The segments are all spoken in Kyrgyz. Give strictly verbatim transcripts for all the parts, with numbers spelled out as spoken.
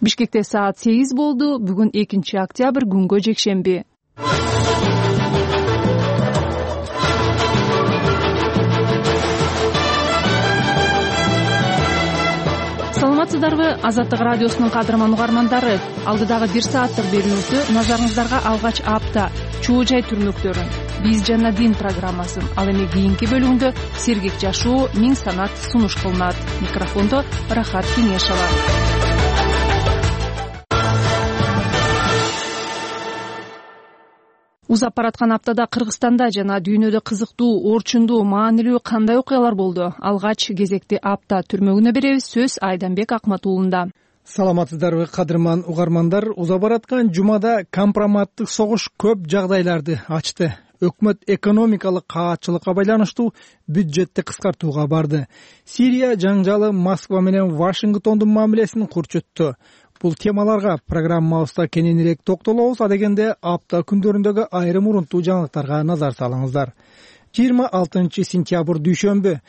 Бишкекте саат сегиз болду. Бүгүн экинчи октябрь, күнгө жекшемби. Саламатсыздарбы? Азаттык радиосунун кадырман угармандары, алдыдагы бир сааттык берүүбүздү назарыңыздарга алгач апта чуу жай түрмөктөрүн, биз жана дин программасын, ал эми кийинки бөлүгүндө сергек жашоо, миң санат сунуш кылынат. Микрофондо Рахат Кеңешова. Узап бараткан аптада Кыргызстанда жана дүйнөдө кызыктуу, орчундуу, маанилүү кандай окуялар болду? Алгач кезекти апта түрмөгүнө беребиз. Сөз Айданбек Акматуулунда. Саламатсыздарбы, кадырман угармандар? Узап бараткан жумада компроматтык согуш көп жагдайларды ачты. Өкмөт экономикалык каатчылыкка байланыштуу бюджетти кыскартууга барды. Сирия жаңжалы Москва менен Вашингтондун мамилесин курчутту. Бул темаларга программабызда кененирээк токтолобуз. Адегенде апта күндөрүндөгү айрым урунттуу жаңылыктарга назар салыңыздар. жыйырма алтынчы сентябрь дүйшөмбү.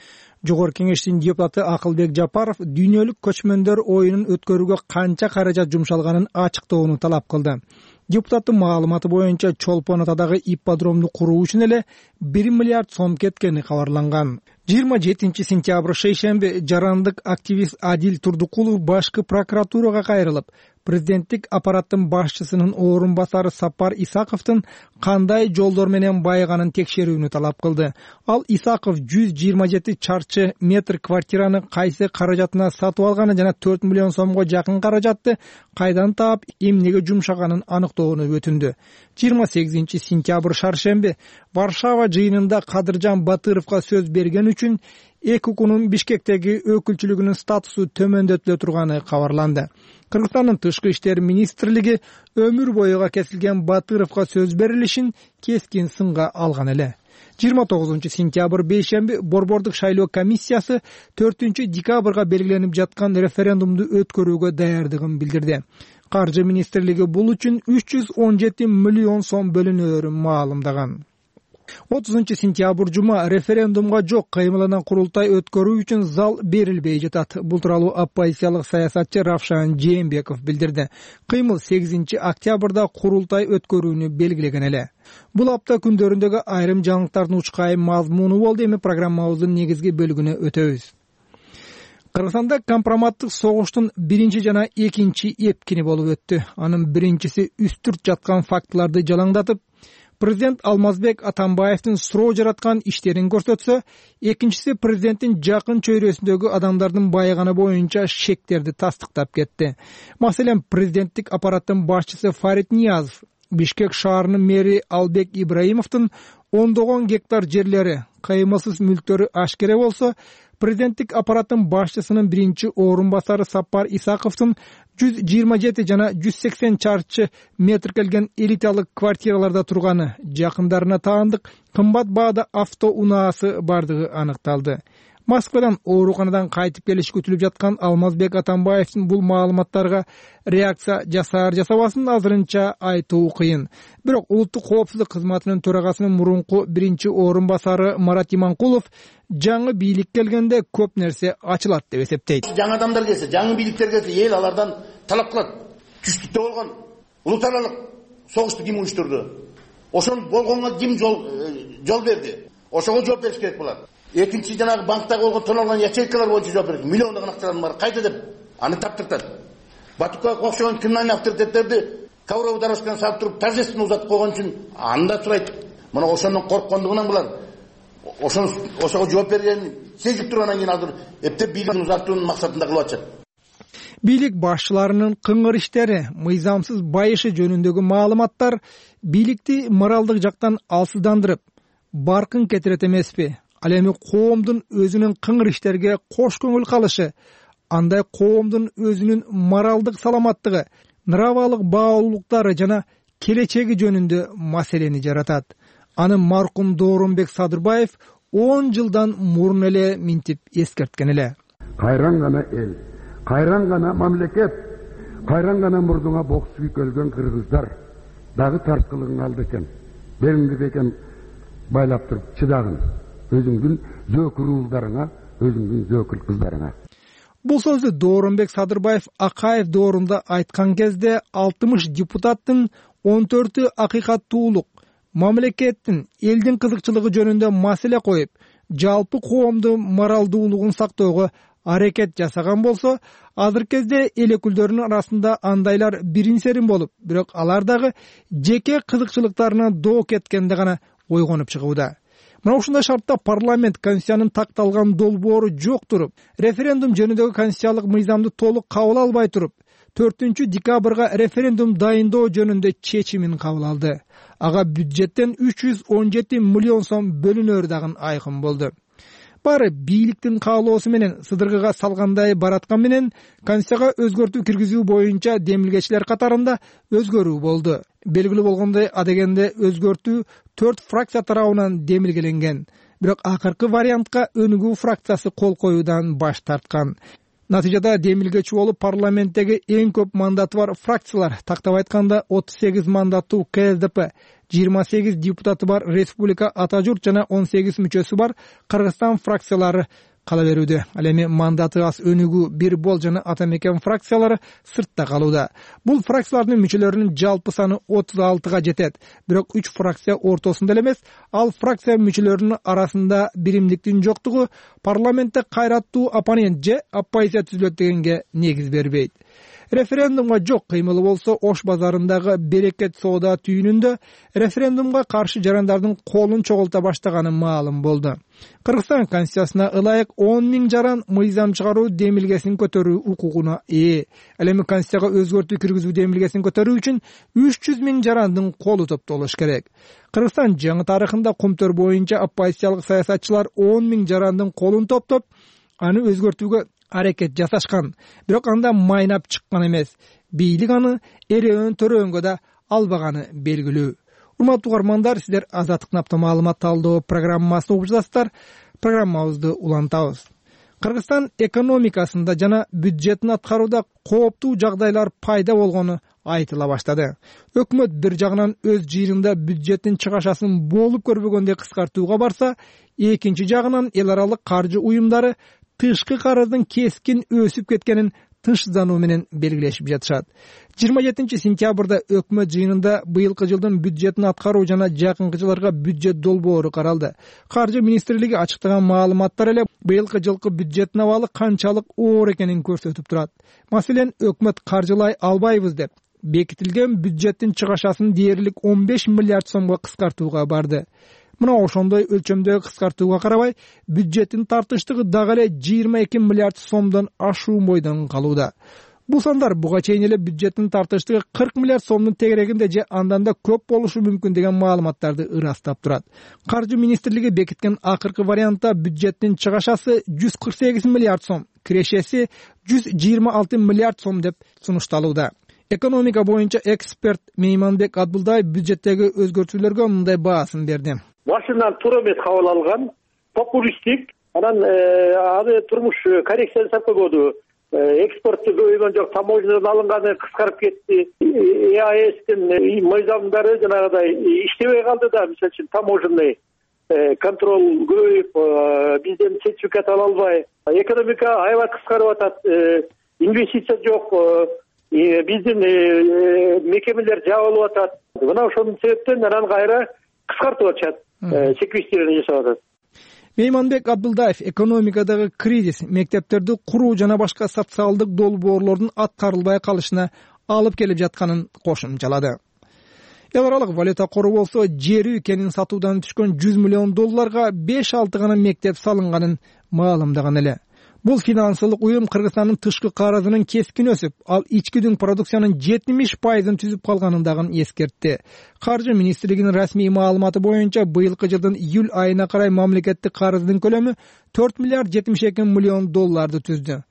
Жогорку Кеңештин депутаты Акылбек Жапаров дүйнөлүк көчмөндөр оюнун өткөрүүгө канча каражат жумшалганын ачыктоону талап кылды. Депутаттын маалыматы боюнча Чолпон атадагы ипподромду куруу үчүн эле бир миллиард сом кеткени кабарланган. жыйырма жетинчи сентябрь шейшемби жарандык активист Адил Турдукулов башкы прокуратурага кайрылып, президенттик аппараттын башчысынын орун басары Сапар Исаковдун кандай жолдор менен байыганын текшерүүнү талап кылды. Ал Исаков жүз жыйырма жети чарчы метр квартираны кайсы каражатына сатып алганын жана төрт миллион сомго жакын каражатты кайдан таап, эмнеге жумшаганын аныктоону өтүндү. жыйырма сегизинчи сентябрь шаршемби Варшава жыйынында Кадыржан Батыровго сөз берген үчүн ЭКУКунун Бишкектеги өкүлчүлүгүнүн статусу төмөндөтүлө турганы кабарланды. Кыргызстандын Тышкы иштер министрлиги өмүр боюга кесилген Батыровго сөз берилишин кескин сынга алган эле. жыйырма тогузунчу сентябрь бейшемби Борбордук шайлоо комиссиясы төртүнчү декабрга белгиленип жаткан референдумду өткөрүүгө даярдыгын билдирди. Каржы министрлиги бул үчүн үч жүз он жети миллион сом бөлүнөөрүн маалымдаган. отузунчу сентябрь жума референдумга жок кыймылынан курултай өткөрүү үчүн зал берилбей жатат. Бул тууралуу оппозициялык саясатчы Равшан Жээнбеков билдирди. Кыймыл сегизинчи октябрда курултай өткөрүүнү белгилеген эле. Бул апта күндөрүндөгү айрым жаңылыктардын учкайым мазмуну болду. Эми программабыздын негизги бөлүгүнө өтөбүз. Кыргызстанда компроматтык согуштун биринчи жана экинчи эпкини болуп өттү. Анын биринчиси үстүрт жаткан фактыларды жалаңдатып, президент Алмазбек Атамбаевдин суроо жараткан иштерин көрсөтсө, экинчиси президенттин жакын чөйрөсүндөгү адамдардын байыганы боюнча шектерди тастыктап кетти. Маселен, президенттик аппараттын башчысы Фарид Ниязов, Бишкек шаарынын мэри Албек Ибраимовдун ондогон гектар жерлери, кыймылсыз мүлктөрү ашкере болсо, президенттик аппараттын башчысынын биринчи орун басары Сапар Исаковдун жүз жыйырма жети жана жүз сексен чарчы метр келген элиталык квартираларда турганы, жакындарына таандык кымбат баада авто унаасы бардыгы аныкталды. Москвадан ооруканадан кайтып келиш күтүлүп жаткан Алмазбек Атамбаевдин бул маалыматтарга реакция жасаар жасабасын азырынча айтуу кыйын. Бирок улуттук коопсуздук кызматынын төрагасынын мурунку биринчи орун басары Марат Иманкулов жаңы бийлик келгенде көп нерсе ачылат деп эсептейт. Жаңы адамдар келсе, жаңы бийликтер келсе, эл алардан талап кылат. Түштүктө болгон улут аралык согушту ким уюштурду? Ошол болгонго ким жол жол берди? Ошого жооп бериш керек болот. Экинчи жанагы банктагы болгон тоналган ячейкалар боюнча жооп берет. Миллиондогон акчалардын баары кайда деп аны таптыртат. Батукка окшогон криминалдык авторитеттерди ковровый дорожканы салып туруп торжественно узатып койгон үчүн анда сурайт. Мына ошондон корккондугунан булар ошон ошого жооп берген сезип тургандан кийин азыр эптеп бийлигин узартуунун максатында кылып атышат. Бийлик башчыларынын кыңгыр иштери, мыйзамсыз байышы жөнүндөгү маалыматтар бийликти моралдык жактан алсыздандырып, баркын кетирет эмеспи? Ал эми коомдун өзүнүн кыңгыр иштерге кош көңүл калышы, андай коомдун өзүнүн моралдык саламаттыгы, нравалык баалуулуктары жана келечеги жөнүндө маселени жаратат. Аны маркум Доорунбек Садырбаев он жылдан мурун эле минтип эскерткен эле. Кайран гана эл, кайран гана мамлекет, кайран гана мурдуңа бокс күйкөлгөн кыргыздар дагы тарткылыгың алды экен. Белиңди бекен байлап туруп чыдагын. Өзүңдүн зөөкүр уулдарыңа, өзүңдүн зөөкүр кыздарыңа. Бул сөздү Дооронбек Садырбаев Акаев доорунда айткан кезде алтымыш депутаттын он төртү акыйкаттуулук, мамлекеттин, элдин кызыкчылыгы жөнүндө маселе коюп, жалпы коомдун моралдуулугун сактоого аракет жасаган болсо, азыркы кезде эл өкүлдөрүнүн арасында андайлар бирин серин болуп, бирок алар дагы жеке кызыкчылыктарына доо кеткенде гана ойгонуп чыгууда. Мына ушундай шартта парламент конституциянын такталган долбоору жок туруп, референдум жөнүндөгү конституциялык мыйзамды толук кабыл албай туруп, төртүнчү декабрга референдум дайындоо жөнүндө чечимин кабыл алды. Ага бюджеттен үч жүз он жети миллион сом бөлүнөрү дагы айкын болду. Баары бийликтин каалоосу менен сыдыргыга салгандай бараткан менен конституцияга өзгөртүү киргизүү боюнча демилгечилер катарында өзгөрүү болду. Белгилүү болгондой, адегенде өзгөртүү төрт фракция тарабынан демилгеленген. Бирок акыркы вариантка өнүгүү фракциясы кол коюудан баш тарткан. Натыйжада демилгечи болуп парламенттеги эң көп мандаты бар фракциялар, тактап айтканда отуз сегиз мандаттуу К С Д П, жыйырма сегиз депутаты бар Республика Ата журт жана он сегиз мүчөсү бар Кыргызстан фракциялары кала берүүдө. Ал эми мандаты аз өнүгүү бир бол жана Ата Мекен фракциялары сыртта калууда. Бул фракциялардын мүчөлөрүнүн жалпы саны отуз алтыга жетет. Бирок үч фракция ортосунда эле эмес, ал фракция мүчөлөрүнүн арасында биримдиктин жоктугу парламентте кайраттуу оппонент же оппозиция түзүлөт дегенге негиз бербейт. Референдумга жок кыймылы болсо, Ош базарындагы Берекет соода түйүнүндө референдумга каршы жарандардын колун чогулта баштаганы маалым болду. Кыргызстан конституциясына ылайык он миң жаран мыйзам чыгаруу демилгесин көтөрүү укугуна ээ. Ал эми конституцияга өзгөртүү киргизүү демилгесин көтөрүү үчүн үч жүз миң жарандын колу топтолуш керек. Кыргызстан жаңы тарыхында кумтөр боюнча оппозициялык саясатчылар он миң жарандын колун топтоп, аны өзгөртүүгө аракет жасашкан. Бирок анда майнап чыккан эмес. Бийлик аны эреөн төрөөнгө да албаганы белгилүү. Урматтуу угармандар, сиздер Азаттык напта маалымат талдоо программасын угуп жатасыздар. Программабызды улантабыз. Кыргызстан экономикасында жана бюджеттин аткарууда кооптуу жагдайлар пайда болгону айтыла баштады. Өкмөт бир жагынан өз жыйынында бюджеттин чыгашасын болуп көрбөгөндөй кыскартууга барса, экинчи жагынан эл аралык каржы уюмдары тышкы карыздын кескин өсүп кеткенин тынчсыздануу менен белгилешип жатышат. жыйырма жетинчи сентябрда өкмөт жыйынында быйылкы жылдын бюджетин аткаруу жана жакынкы жылдарга бюджет долбоору каралды. Каржы министрлиги ачыктаган маалыматтар эле быйылкы жылкы бюджеттин абалы канчалык оор экенин көрсөтүп турат. Маселен, өкмөт каржылай албайбыз деп бекитилген бюджеттин чыгашасын дээрлик он беш миллиард сомго кыскартууга барды. Мына ошондой өлчөмдөгү кыскартууга карабай, бюджеттин тартыштыгы дагы эле жыйырма эки миллиард сомдон ашуу бойдон калууда. Бул сандар буга чейин эле бюджеттин тартыштыгы кырк миллиард сомдун тегерегинде же андан да көп болушу мүмкүн деген маалыматтарды ырастап турат. Каржы министрлиги бекиткен акыркы вариантта бюджеттин чыгашасы жүз кырк сегиз миллиард сом, кирешеси жүз жыйырма алты миллиард сом деп сунушталууда. Экономика боюнча эксперт Мейманбек Абдулдаев бюджеттеги өзгөртүүлөргө мындай баасын берди. Башынан туура эмес кабыл алган, популисттик, анан аны турмуш коррекция жасап койбоду. Экспортту көбөйгөн жок, таможнядан алынганы кыскарып кетти. Е А Эстин мыйзамдары жанагыдай иштебей калды да, мисалы үчүн таможенный контроль көбөйүп, бизден сертификат ала албай, экономика аябай кыскарып атат, инвестиция жок, биздин мекемелер жабылып атат. Мына ошонун себептен анан кайра кыскартып атышат, секвестирование жасап атат. Мейманбек Абдулдаев экономикадагы кризис мектептерди куруу жана башка социалдык долбоорлордун аткарылбай калышына алып келип жатканын кошумчалады. Эл аралык валюта кору болсо, жер үй кенин сатуудан түшкөн жүз миллион долларга беш алты гана мектеп салынганын маалымдаган эле. Бул финансылык уюм Кыргызстандын тышкы карызынын кескин өсүп, ал ички дүң продукциянын жетимиш пайызын түзүп калганын дагы эскертти. Каржы министрлигинин расмий маалыматы боюнча быйылкы жылдын июль айына карай мамлекеттик карыздын көлөмү төрт миллиард жетимиш эки миллион долларды түздү.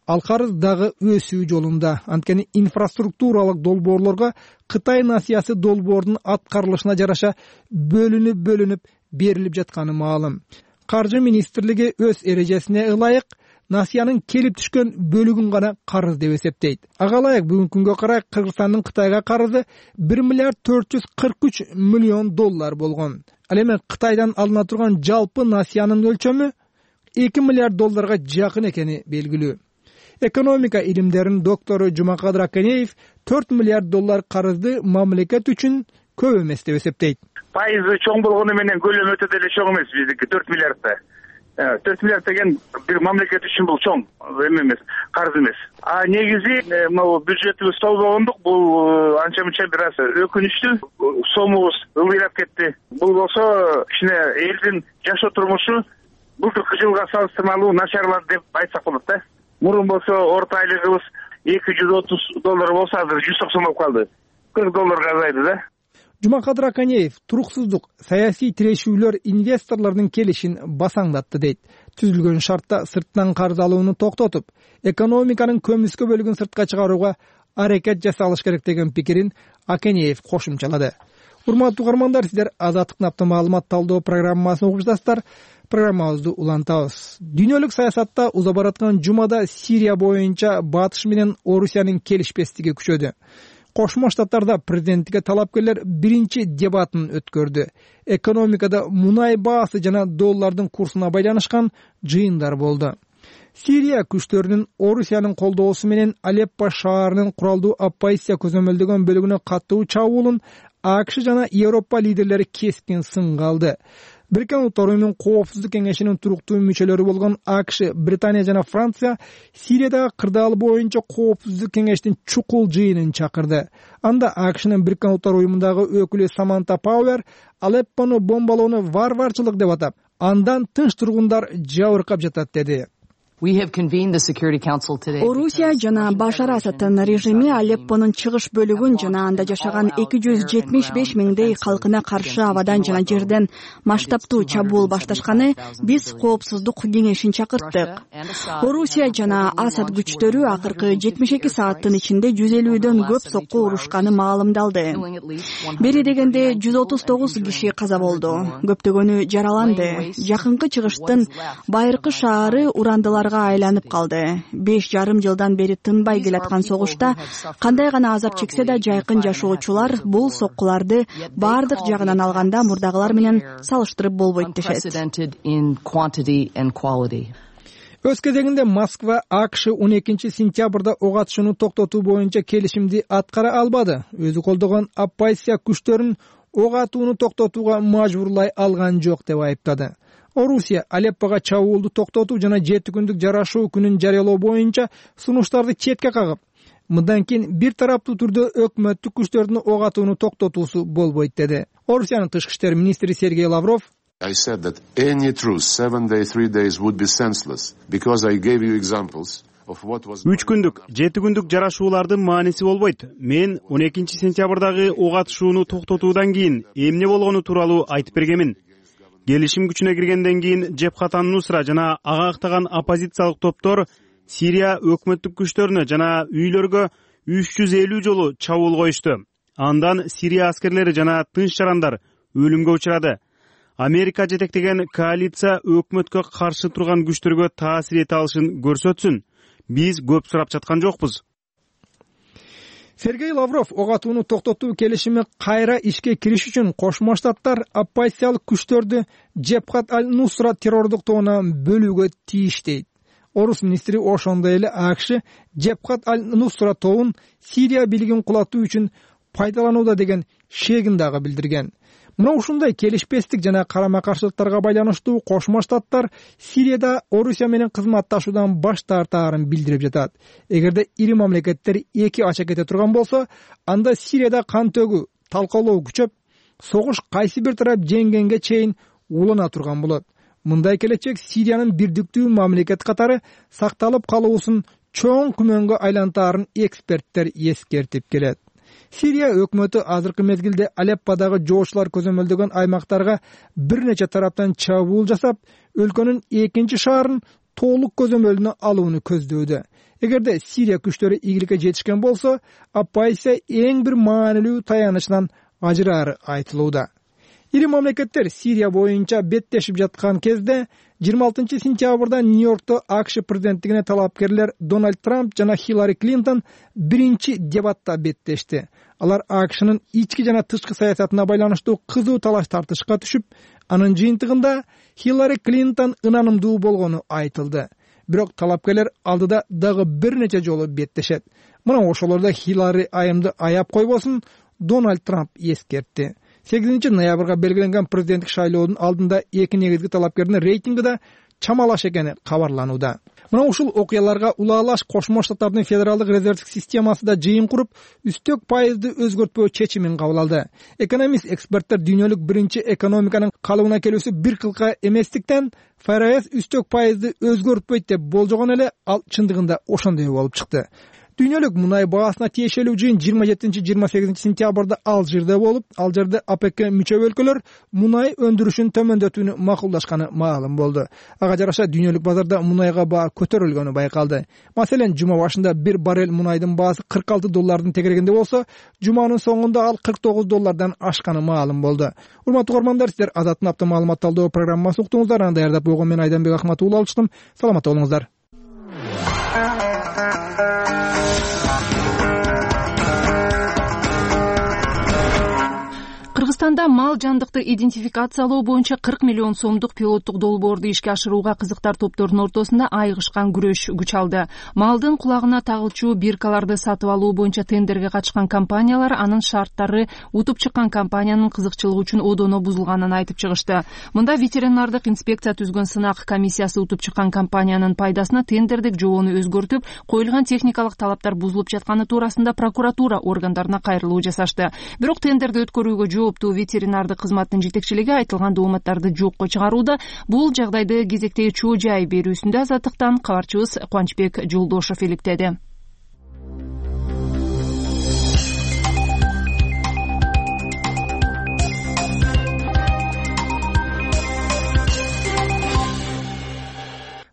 Ал карыз дагы өсүү жолунда. Анткени инфраструктуралык долбоорлорго Кытай насыясы долбоордун аткарылышына жараша бөлүнүп-бөлүнүп берилип жатканы маалым. Каржы министрлиги өз эрежесине ылайык насыянын келип түшкөн бөлүгүн гана карыз деп эсептейт. Ага ылайык бүгүнкү күнгө карай Кыргызстандын Кытайга карызы бир миллиард төрт жүз кырк үч миллион доллар болгон. Ал эми Кытайдан алына турган жалпы насыянын өлчөмү эки миллиард долларга жакын экени белгилүү. Экономика илимдеринин доктору Жумакадыр Акенеев төрт миллиард доллар карызды мамлекет үчүн көп эмес деп эсептейт. Пайызы чоң болгону менен көлөмү өтө деле чоң эмес биздики төрт миллиардда. төрт миллиард деген бир мамлекет үчүн бул чоң эме эмес, карыз эмес. А негизи могу бюджетибиз толбогондук, бул анча мынча бир аз өкүнүчтүү. Сомубуз ылдыйрап кетти. Бул болсо кичине элдин жашоо турмушу былтыркы жылга салыштырмалуу начарлады деп айтсак болот да. Мурун болсо орто айлыгыбыз эки жүз отуз доллар болсо азыр жүз токсон болуп калды. кырк долларга азайды да. Жумакадыр Акенеев туруксуздук, саясий тирешүүлөр инвесторлордун келишин басаңдатты дейт. Түзүлгөн шартта сырттан карыз алууну токтотуп, экономиканын көмүскө бөлүгүн сыртка чыгарууга аракет жасалыш керек деген пикирин Акенеев кошумчалады. Урматтуу угармандар, сиздер Азаттыктын апта маалымат талдоо программасын угуп жатасыздар. Программабызды улантабыз. Дүйнөлүк саясатта уза бараткан жумада Сирия боюнча Батыш менен Орусиянын келишпестиги күчөдү. Кошмо Штаттарда президенттикке талапкерлер биринчи дебатын өткөрдү. Экономикада мунай баасы жана доллардын курсуна байланышкан жыйындар болду. Сирия күчтөрүнүн Орусиянын колдоосу менен Алеппо шаарынын куралдуу оппозиция көзөмөлдөгөн бөлүгүнө каттуу чабуулун АКШ жана Европа лидерлери кескин сынга алды. Бириккен Улуттар уюмунун коопсуздук кеңешинин туруктуу мүчөлөрү болгон АКШ, Британия жана Франция Сириядагы кырдаал боюнча коопсуздук кеңештин чукул жыйынын чакырды. Анда АКШнын Бириккен Улуттар уюмундагы өкүлү Саманта Пауэр Алеппону бомбалоону варварчылык деп атап, андан тынч тургундар жабыркап жатат деди. Орусия жана Башар Асадтын режими Алеппонун чыгыш бөлүгүн жана анда жашаган эки жүз жетимиш беш миңдей калкына каршы абадан жана жерден масштабтуу чабуул башташканы биз коопсуздук кеңешин чакырттык. Орусия жана Асад күчтөрү акыркы жетимиш эки сааттын ичинде жүз элүүдөн көп сокку урушканы маалымдалды. Бери дегенде жүз отуз тогуз киши каза болду, көптөгөнү жараланды. Жакынкы чыгыштын байыркы шаары урандылар айланып калды. Беш жарым жылдан бери тынбай келаткан согушта кандай гана азап чексе да жайкын жашоочулар бул соккуларды баардык жагынан алганда мурдагылар менен салыштырып болбойт дешет. Өз кезегинде Москва АКШ он экинчи сентябрда ок атышууну токтотуу боюнча келишимди аткара албады. Өзү колдогон оппозиция күчтөрүн ок атууну токтотууга мажбурлай алган жок деп айыптады. Орусия Алеппого чабуулду токтотуу жана жети күндүк жарашуу күнүн жарыялоо боюнча сунуштарды четке кагып, мындан кийин бир тараптуу түрдө өкмөттүк күчтөрдүн ок атууну токтотуусу болбойт деди. Орусиянын тышкы иштер министри Сергей Лавров I said that any truce seven days, three days would be senseless because I gave you examples of what was. Үч күндүк, жети күндүк жарашуулардын мааниси болбойт. Мен он экинчи сентябрдагы ок атышууну токтотуудан кийин эмне болгону тууралуу айтып бергенмин. Келишим күчүнө киргенден кийин Жебхат ан-Нусра жана ага актаган оппозициялык топтор Сирия өкмөттүк күчтөрүнө жана үйлөргө үч жүз элүү жолу чабуул коюшту. Андан Сирия аскерлери жана тынч жарандар өлүмгө учурады. Америка жетектеген коалиция өкмөткө каршы турган күчтөргө таасир эте алышын көрсөтсүн. Биз көп сурап жаткан жокпуз. Сергей Лавров ок атууну токтотуу келишими кайра ишке кириш үчүн Кошмо Штаттар оппозициялык күчтөрдү Жебхат ан-Нусра террордук тобунан бөлүүгө тийиш дейт. Орус министри ошондой эле АКШ Жебхат ан-Нусра тобун Сирия бийлигин кулатуу үчүн пайдаланууда деген шегин дагы билдирген. Мына ушундай келишпестик жана карама каршылыктарга байланыштуу Кошмо Штаттар Сирияда Орусия менен кызматташуудан баш тартаарын билдирип жатат. Эгерде ири мамлекеттер эки ача кете турган болсо, анда Сирияда кан төгүү, талкалоо күчөп, согуш кайсы бир тарап жеңгенге чейин улана турган болот. Мындай келечек Сириянын бирдиктүү мамлекет катары сакталып калуусун чоң күмөнгө айлантаарын эксперттер эскертип келет. Сирия өкмөтү азыркы мезгилде Алепподагы жоочулар көзөмөлдөгөн аймактарга бир нече тараптан чабуул жасап, өлкөнүн экинчи шаарын толук көзөмөлүнө алууну көздөдө. Эгерде Сирия күчтөрү ийгиликке жетишкен болсо, оппозиция эң бир маанилүү таянычынан ажыраары айтылууда. Ири мамлекеттер Сирия боюнча беттешип жаткан кезде жыйырма алтынчы сентябрда Нью-Йоркто АКШ президенттигине талапкерлер Дональд Трамп жана Хиллари Клинтон биринчи дебатта беттешти. Алар АКШнын ички жана тышкы саясатына байланыштуу кызуу талаш тартышка түшүп, анын жыйынтыгында Хиллари Клинтон ынанымдуу болгону айтылды. бирок талапкерлер алдыда дагы бир нече жолу беттешет. Мына ошолордо Хиллари айымды аяп койбосун Дональд Трамп эскертти. сегизинчи ноябрга белгиленген президенттик шайлоонун алдында эки негизги талапкердин рейтинги да чамалаш экени кабарланууда. Мына ушул окуяларга улаалаш Кошмо Штаттардын федералдык резервдик системасы да жыйын куруп, үстөк пайызды өзгөртпөө чечимин кабыл алды. Экономист эксперттер дүйнөлүк биринчи экономиканын калыбына келүүсү бир кылка эместиктен ФРС үстөк пайызды өзгөртпөйт деп болжогон эле, ал чындыгында ошондой болуп чыкты. Дүйнөлүк мунай баасына тиешелүү жыйын жыйырма жетинчи жыйырма сегизинчи сентябрда Алжирде болуп, ал жерде ОПЕКке мүчө өлкөлөр мунай өндүрүшүн төмөндөтүүнү макулдашканы маалым болду. Ага жараша дүйнөлүк базарда мунайга баа көтөрүлгөнү байкалды. Маселен, жума башында бир баррель мунайдын баасы кырк алты доллардын тегерегинде болсо, жуманын соңунда ал кырк тогуз доллардан ашканы маалым болду. Урматтуу угармандар, сиздер Азаттын апта маалымат талдоо программасын уктуңуздар. Аны даярдап койгон мен Айданбек Акматов алчтым. Саламатта болуңуздар. Кыргызстанда мал жандыкты идентификациялоо боюнча кырк миллион сомдук пилоттук долбоорду ишке ашырууга кызыктар топтордун ортосунда айыгышкан күрөш күч алды. Малдын кулагына тагылчу биркаларды сатып алуу боюнча тендерге катышкан компаниялар анын шарттары утуп чыккан компаниянын кызыкчылыгы үчүн одоно бузулганын айтып чыгышты. Мында ветеринардык инспекция түзгөн сынак комиссиясы утуп чыккан компаниянын пайдасына тендердик жобону өзгөртүп, коюлган техникалык талаптар бузулуп жатканы туурасында прокуратура органдарына кайрылуу жасашты. Бирок тендерди өткөрүүгө жооптуу ветеринардык кызматтын жетекчилиги айтылган дооматтарды жокко чыгарууда. Бул жагдайды кезектеги чоо жай берүүсүндө Азаттыктан кабарчыбыз Кубанычбек Жолдошов иликтеди.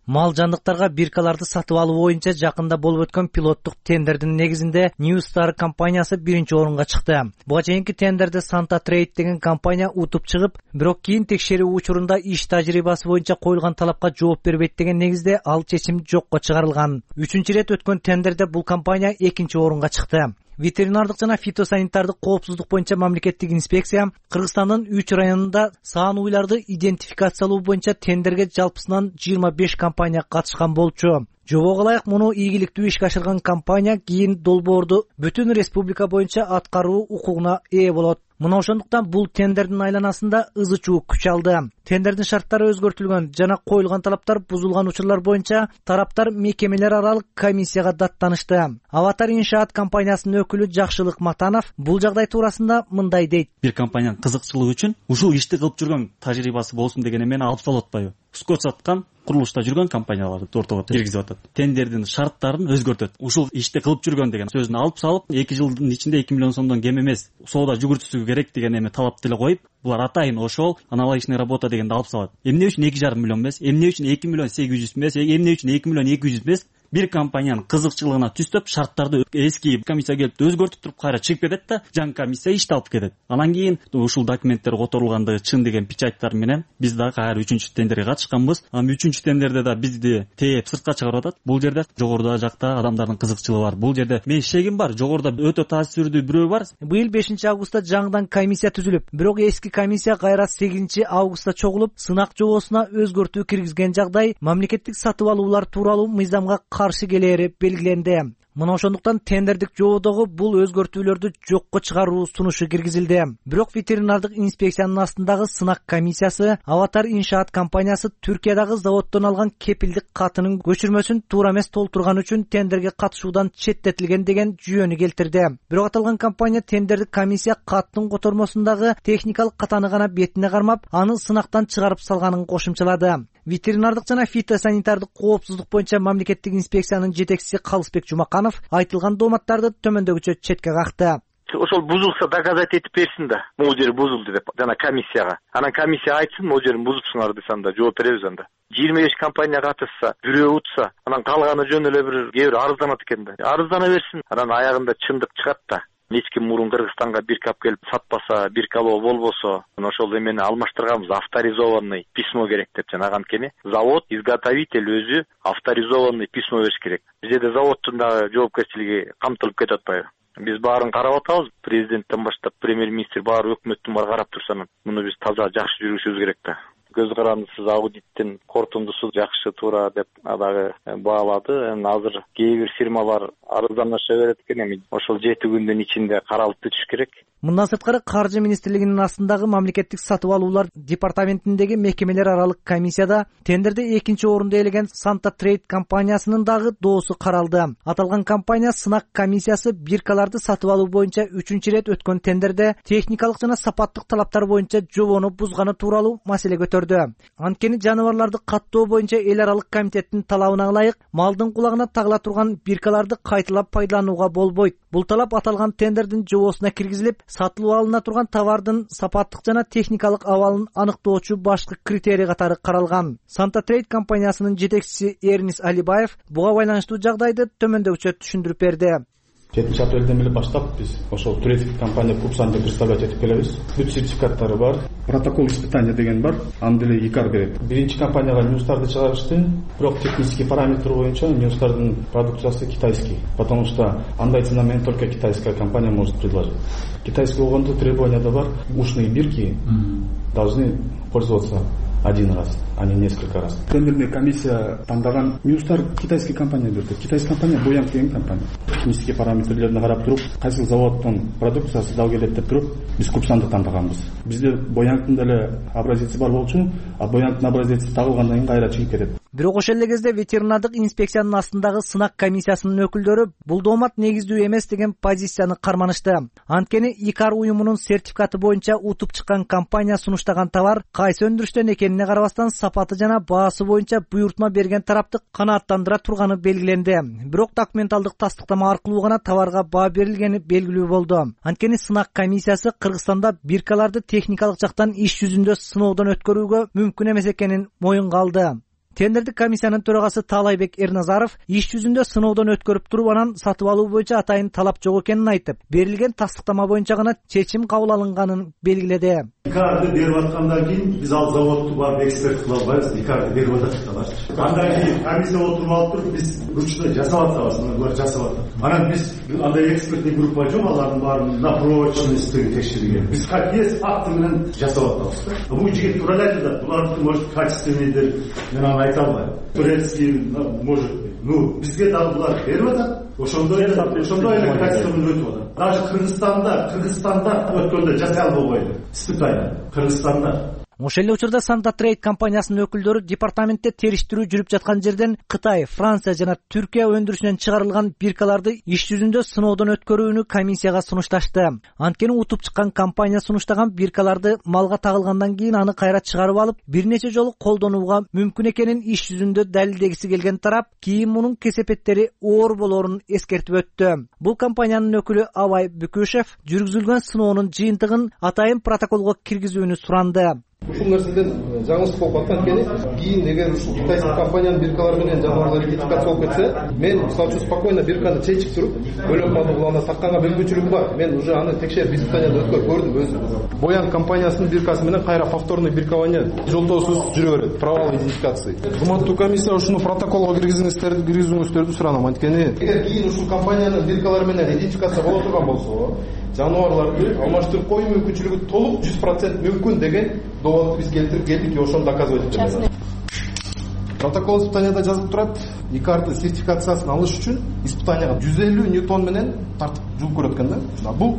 Мал жандыктарга биркаларды сатып алуу боюнча жакында болуп өткөн пилоттук тендердин негизинде New Star компаниясы биринчи орунга чыкты. Буга чейинки тендерде Santa Trade деген компания утуп чыгып, бирок кийин текшерүү учурунда иш тажрыйбасы боюнча коюлган талапка жооп бербейт деген негизде ал чечим жокко чыгарылган. Үчүнчү ирет өткөн тендерде бул компания экинчи орунга чыкты. Ветеринардык жана фитосанитардык коопсуздук боюнча мамлекеттик инспекция Кыргызстандын үч районунда саан уйларды идентификациялоо боюнча тендерге жалпысынан жыйырма беш компания катышкан болчу. Жобого ылайык муну ийгиликтүү ишке ашырган компания кийин долбоорду бүтүн республика боюнча аткаруу укугуна ээ болот. Мына ошондуктан бул тендердин айланасында ызы чуу күч алды. Тендердин шарттары өзгөртүлгөн жана коюлган талаптар бузулган учурлар боюнча тараптар мекемелер аралык комиссияга даттанышты. Аватар иншаат компаниясынын өкүлү Жакшылык Матанов бул жагдай туурасында мындай дейт. Бир компаниянын кызыкчылыгы үчүн ушул ишти кылып жүргөн тажрыйбасы болсун деген эмени алып салып атпайбы? Скот саткан, курулушта жүргөн компанияларды ортого киргизип атат. Тендердин шарттарын өзгөртөт. Ушул ишти кылып жүргөн деген сөзүн алып салып, эки жылдын ичинде эки миллион сомдон кем эмес соода жүгүртүүсү керек деген эме талап деле коюп, булар атайын ошол аналогичный работа дегенди алып салат. Эмне үчүн эки жарым миллион эмес, эмне үчүн эки миллион сегиз жүз эмес, эмне үчүн эки миллион эки жүз эмес? Бир компаниянын кызыкчылыгына түстөп, шарттарды эски комиссия келип өзгөртүп туруп кайра чыгып кетет да, жаңы комиссия ишти алып кетет. Анан кийин ушул документтер которулгандыгы чын деген печаттар менен биз дагы кайра үчүнчү тендерге катышканбыз. Анан үчүнчү тендерде да бизди тээп сыртка чыгарып атат. Бул жерде жогоруда жакта адамдардын кызыкчылыгы бар. Бул жерде мен шегим бар, жогоруда өтө таасирдүү бирөө бар. Быйыл бешинчи августта жаңыдан комиссия түзүлүп, бирок эски комиссия кайра сегизинчи августта чогулуп, сынак жобосуна өзгөртүү киргизген жагдай мамлекеттик сатып алуулар тууралуу мыйзамга каршы келери белгиленди. Мына ошондуктан тендердик жободогу бул өзгөртүүлөрдү жокко чыгаруу сунушу киргизилди. Бирок ветеринардык инспекциянын астындагы сынак комиссиясы Аватар иншаат компаниясы Түркиядагы заводдон алган кепилдик катынын көчүрмөсүн туура эмес толтурган үчүн тендерге катышуудан четтетилген деген жүйөнү келтирди. Бирок аталган компания тендердик комиссия каттын котормосундагы техникалык катаны гана бетине кармап, аны сынактан чыгарып салганын кошумчалады. Ветеринардык жана фитосанитардык коопсуздук боюнча мамлекеттик инспекциянын жетекчиси Калысбек Жумаканов айтылган дооматтарды төмөндөгүчө четке какты. Ошол бузулса доказать этип берсин да, могул жери бузулду деп жана комиссияга. Анан комиссия айтсын, могул жерин бузупсуңар десе анда жооп беребиз анда. жыйырма беш компания катышса, бирөө утса, анан калганы жөн эле бир кээ бир арызданат экен да. Арыздана берсин. Анан аягында чындык чыгат да. Эч ким мурун Кыргызстанга бирка алып келип сатпаса, биркалоо болбосо, ошол эмени алмаштырганбыз, авторизованный письмо керек деп жана анткени завод, изготовитель өзү авторизованный письмо бериш керек. Бизде заводдун дагы жоопкерчилиги камтылып кетип атпайбы? Биз баарын карап атабыз, президенттен баштап премьер-министр баары өкмөттүн баары карап турса, муну биз таза жакшы жүргүзүшүбүз керек да. көз карандысыз аудиттин корутундусу жакшы туура деп дагы баалады. Эми азыр кээ бир фирмалар арызданаша берет экен, эми ошол жети күндүн ичинде каралып бүтүш керек. Мындан сырткары Каржы министрлигинин астындагы мамлекеттик сатып алуулар департаментиндеги мекемелер аралык комиссияда тендерде экинчи орунду ээлеген Санта Трейд компаниясынын дагы доосу каралды. Аталган компания сынак комиссиясы биркаларды сатып алуу боюнча үчүнчү ирет өткөн тендерде техникалык жана сапаттык талаптар боюнча жобону бузганы тууралуу маселе көтөрдү. Анткени жаныбарларды каттоо боюнча эл аралык комитеттин талабына ылайык малдын кулагына тагыла турган биркаларды кайталап пайдаланууга болбойт. Бул талап аталган тендердин жобосуна киргизилип, сатылып алына турган товардын сапаттык жана техникалык абалын аныктоочу башкы критерий катары каралган. Санта Трейд компаниясынын жетекчиси Эрнис Алибаев буга байланыштуу жагдайды төмөндөгүчө түшүндүрүп берди. жетинчи апрелден эле баштап биз ошол турецкий компания Купсан деп представлять этип келебиз. Бүт сертификаттары бар, протокол испытания деген бар, аны деле ИКАР берет. Биринчи компанияга ньюстарды чыгарышты, бирок технический параметр боюнча ньюстардын продукциясы китайский, потому что андай цена менен только китайская компания может предложить. Китайский болгондо требованияда бар, ушные бирки должны пользоваться один раз, а не несколько раз. Тендерная комиссия тандаган ньюстар китайский компания берди. Китайский компания Боянг деген компания. Технический параметрлерин карап туруп, кайсы заводдун продукциясы дал келет деп туруп, биз Купсанды тандаганбыз. Бизде Боянгдын деле образеси бар болчу, а Боянгдын образеси тагылгандан кийин кайра чыгып кетет. Бирок ошол эле кезде ветеринардык инспекциянын астындагы сынак комиссиясынын өкүлдөрү бул доомат негиздүү эмес деген позицияны карманышты. Анткени ИКАР уюмунун сертификаты боюнча утуп чыккан компания сунуштаган товар кайсы өндүрүштөн экенине карабастан сапаты жана баасы боюнча буйртма берген тарапты канааттандыра турганы белгиленди. Бирок документалдык тастыктама аркылуу гана товарга баа берилгени белгилүү болду. Анткени сынак комиссиясы Кыргызстанда биркаларды техникалык жактан иш жүзүндө сыноодон өткөрүүгө мүмкүн эмес экенин моюнга алды. Тендердик комиссиянын төрагасы Таалайбек Эрназаров иш жүзүндө сыноодон өткөрүп туруп анан сатып алуу боюнча атайын талап жок экенин айтып, берилген тастыктама боюнча гана чечим кабыл алынганын белгиледи. ИКАРды берип аткандан кийин биз ал заводду барып эксперт кыла албайбыз. ИКАРды берип атат. Андан кийин комиссия отуруп алып туруп биз ручной жасап атабыз, булар жасап атат. Анан биз андай экспертный группа жок, алардын баарын на прочность текшерген. Биз как есть факты менен жасап атабыз. Бул жигит тура эле айтат, булардыкы может качественныйдыр. Мен аны айта албайм. Турецкий может, ну бизге дагы булар берип атат. Ошондой эле, ошондой эле качественно өтүп атат. Даже Кыргызстанда, Кыргызстанда өткөндө жасай албайбы? Испытание Кыргызстанда. Ошол эле учурда Санта Трейд компаниясынын өкүлдөрү департаментте териштирүү жүрүп жаткан жерден Кытай, Франция жана Түркия өндүрүшүнөн чыгарылган биркаларды иш жүзүндө сыноодон өткөрүүнү комиссияга сунушташты. Анткени утуп чыккан компания сунуштаган биркаларды малга тагылгандан кийин аны кайра чыгарып алып, бир нече жолу колдонууга мүмкүн экенин иш жүзүндө далилдегиси келген тарап кийин мунун кесепеттери оор болоорун эскертип өттү. Бул компаниянын өкүлү Абай Бүкүшев жүргүзүлгөн сыноонун жыйынтыгын атайын протоколго киргизүүнү суранды. Ушул нерседен жаңылыш болуп аткан экен. Кийин эгер ушул китайский компаниянын биркалары менен жаныбарлар идентификация болуп кетсе, мен мисалы үчүн спокойно бирканы чечип туруп, бөлөк малды булана сатканга мүмкүнчүлүгүм бар. Мен уже аны текшерип испытаниядан өткөрүп көрдүм өзүм. Боянг компаниясынын биркасы менен кайра повторный биркование жолтоосуз жүрө берет. Провал идентификации. Кызматтуу комиссия ушуну протоколго киргизиңиздерди, киргизүүңүздөрдү суранам. Анткени эгер кийин ушул компаниянын биркалары менен идентификация боло турган болсо, жаныбарларды алмаштырып коюу мүмкүнчүлүгү толук жүз процент мүмкүн деген доводду биз келтирип келдик, ошону доказывать этебиз. Протокол испытанияда жазылып турат, ИКАРды сертификациясын алыш үчүн испытанияга жүз элүү ньютон менен тартып жуулуп көрөт экен да. Бул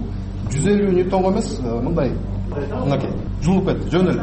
жүз элүү ньютонго эмес, мындай мынакей жуулуп кетти, жөн эле.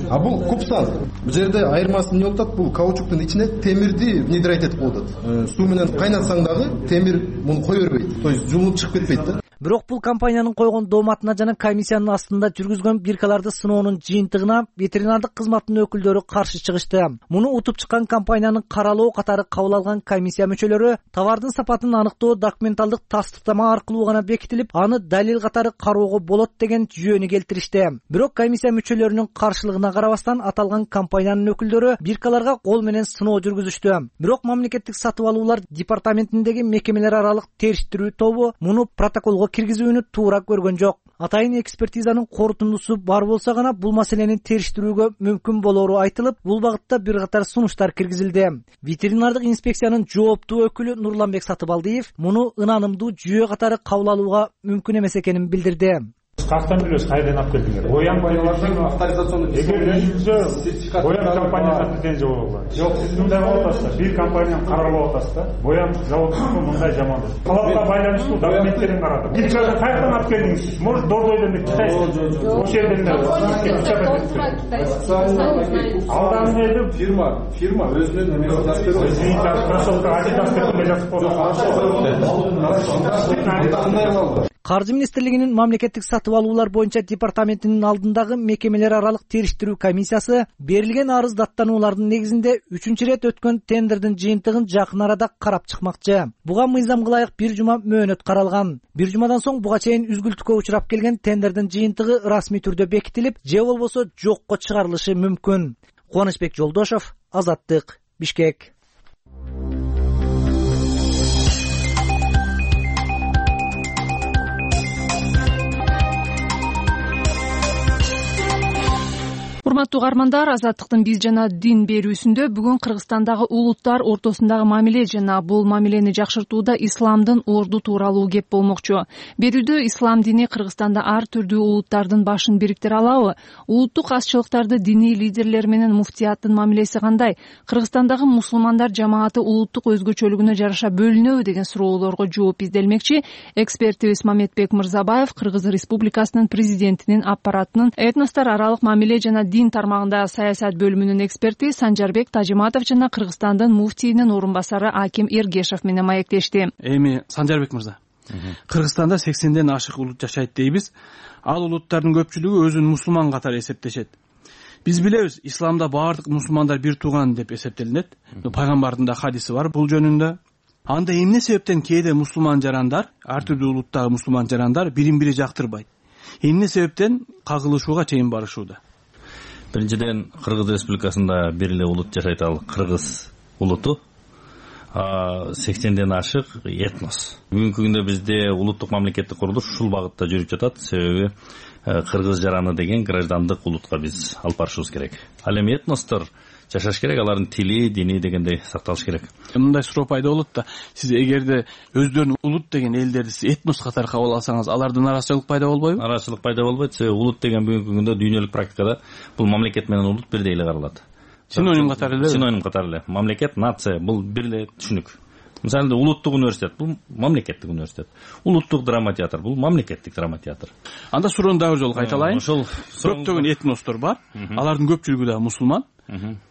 А бул Купсан. Бул жерде айырмасы эмне болуп атат? Бул каучуктун ичине темирди внедрять этип коюп атат. Суу менен кайнатсаң дагы темир муну кое бербейт. То есть жуулуп чыгып кетпейт да. Бирок бул компаниянын койгон дооматына жана комиссиянын астында жүргүзгөн биркаларды сыноонун жыйынтыгына ветеринардык кызматтын өкүлдөрү каршы чыгышты. Муну утуп чыккан компаниянын каралоо катары кабыл алган комиссия мүчөлөрү товардын сапатын аныктоо документалдык тастыктама аркылуу гана бекитилип, аны далил катары кароого болот деген жүйөнү келтиришти. Бирок комиссия мүчөлөрүнүн каршылыгына карабастан аталган компаниянын өкүлдөрү биркаларга кол менен сыноо жүргүзүштү. Бирок мамлекеттик сатып алуулар департаментиндеги мекемелер аралык териштирүү тобу муну протоколго киргизүүнү туура көргөн жок. Атайын экспертизанын корутундусу бар болсо гана бул маселени териштирүүгө мүмкүн болоору айтылып, бул багытта бир катар сунуштар киргизилди. Ветеринардык инспекциянын жооптуу өкүлү Нурланбек Сатыбалдиев муну ынанымдуу жүйө катары кабыл алууга мүмкүн эмес экенин билдирди. каяктан билебиз кайдан алып келдиңер? Боян компаниялардын авторизационный эгер өзүңүзө боян компаниясына претензия болобу? Жок, сиз мындай кылып атасыз. Бир компанияны каралап атасыз да. Боян заводунун мындай жамандык. Талапка байланыштуу документтерин карадым. Бир жолу каяктан алып келдиңиз? Может, Дордойдон эле Китай? Ошол жерден алдан эле фирма, фирма өзүнүн немесин жазып берет. Извините, кроссовка Adidas деп жазып коюп. Каржы министрлигинин мамлекеттик сатып алуулар боюнча департаментинин алдындагы мекемелер аралык териштирүү комиссиясы берилген арыз даттануулардын негизинде үчүнчү ирет өткөн тендердин жыйынтыгын жакын арада карап чыкмакчы. Буга мыйзамга ылайык бир жума мөөнөт каралган. Бир жумадан соң буга чейин үзгүлтүккө учурап келген тендердин жыйынтыгы расмий түрдө бекитилип, же болбосо жокко чыгарылышы мүмкүн. Кубанычбек Жолдошов, Азаттык, Бишкек. Урматтуу угармандар, Азаттыктын биз жана дин берүүсүндө бүгүн Кыргызстандагы улуттар ортосундагы мамиле жана бул мамилени жакшыртууда исламдын орду тууралуу кеп болмокчу. Берүүдө ислам дини Кыргызстанда ар түрдүү улуттардын башын бириктире алабы? Улуттук азчылыктарды диний лидерлер менен муфтияттын мамилеси кандай? Кыргызстандагы мусулмандар жамааты улуттук өзгөчөлүгүнө жараша бөлүнөбү деген суроолорго жооп изделмекчи. Экспертибиз Мамедбек Мырзабаев Кыргыз Республикасынын президентинин аппаратынын этностор аралык мамиле жана дин тармагындагы саясат бөлүмүнүн эксперти Санжарбек Тажиматов жана Кыргызстандын муфтийинин орун басары Аким Эргешев менен маектешти. Эми Санжарбек мырза, Кыргызстанда сексенден ашык улут жашайт дейбиз. Ал улуттардын көпчүлүгү өзүн мусулман катары эсептешет. Биз билебиз, исламда баардык мусулмандар бир тууган деп эсептелинет. Пайгамбардын да хадиси бар бул жөнүндө. Анда эмне себептен кээде мусулман жарандар, ар түрдүү улуттагы мусулман жарандар бирин бири жактырбайт? Эмне себептен кагылышууга чейин барышууда? Биринчиден, Кыргыз Республикасында бир эле улут жашайт, ал кыргыз улуту. сексенден ашык этнос. Бүгүнкү күндө бизде улуттук мамлекеттик курулуш ушул багытта жүрүп жатат. Себеби кыргыз жараны деген граждандык улутка биз алып барышыбыз керек. Ал эми этностор жашаш керек, алардын тили, дини дегендей сакталыш керек. Мындай суроо пайда болот да, сиз эгерде өздөрүн улут деген элдерди сиз этнос катары кабыл алсаңыз, алардын арачылык пайда болбойбу? Арачылык пайда болбойт. Себеби улут деген бүгүнкү күндө дүйнөлүк практикада бул мамлекет менен улут бирдей эле каралат. Синоним катары эле. Синоним катары эле. Мамлекет, нация бул бир эле түшүнүк. Мисалы, улуттук университет бул мамлекеттик университет. Улуттук драма театр бул мамлекеттик драма театр. Анда суроону дагы бир жолу кайталайын. Ошол көптөгөн этностор бар. Алардын көпчүлүгү да мусулман.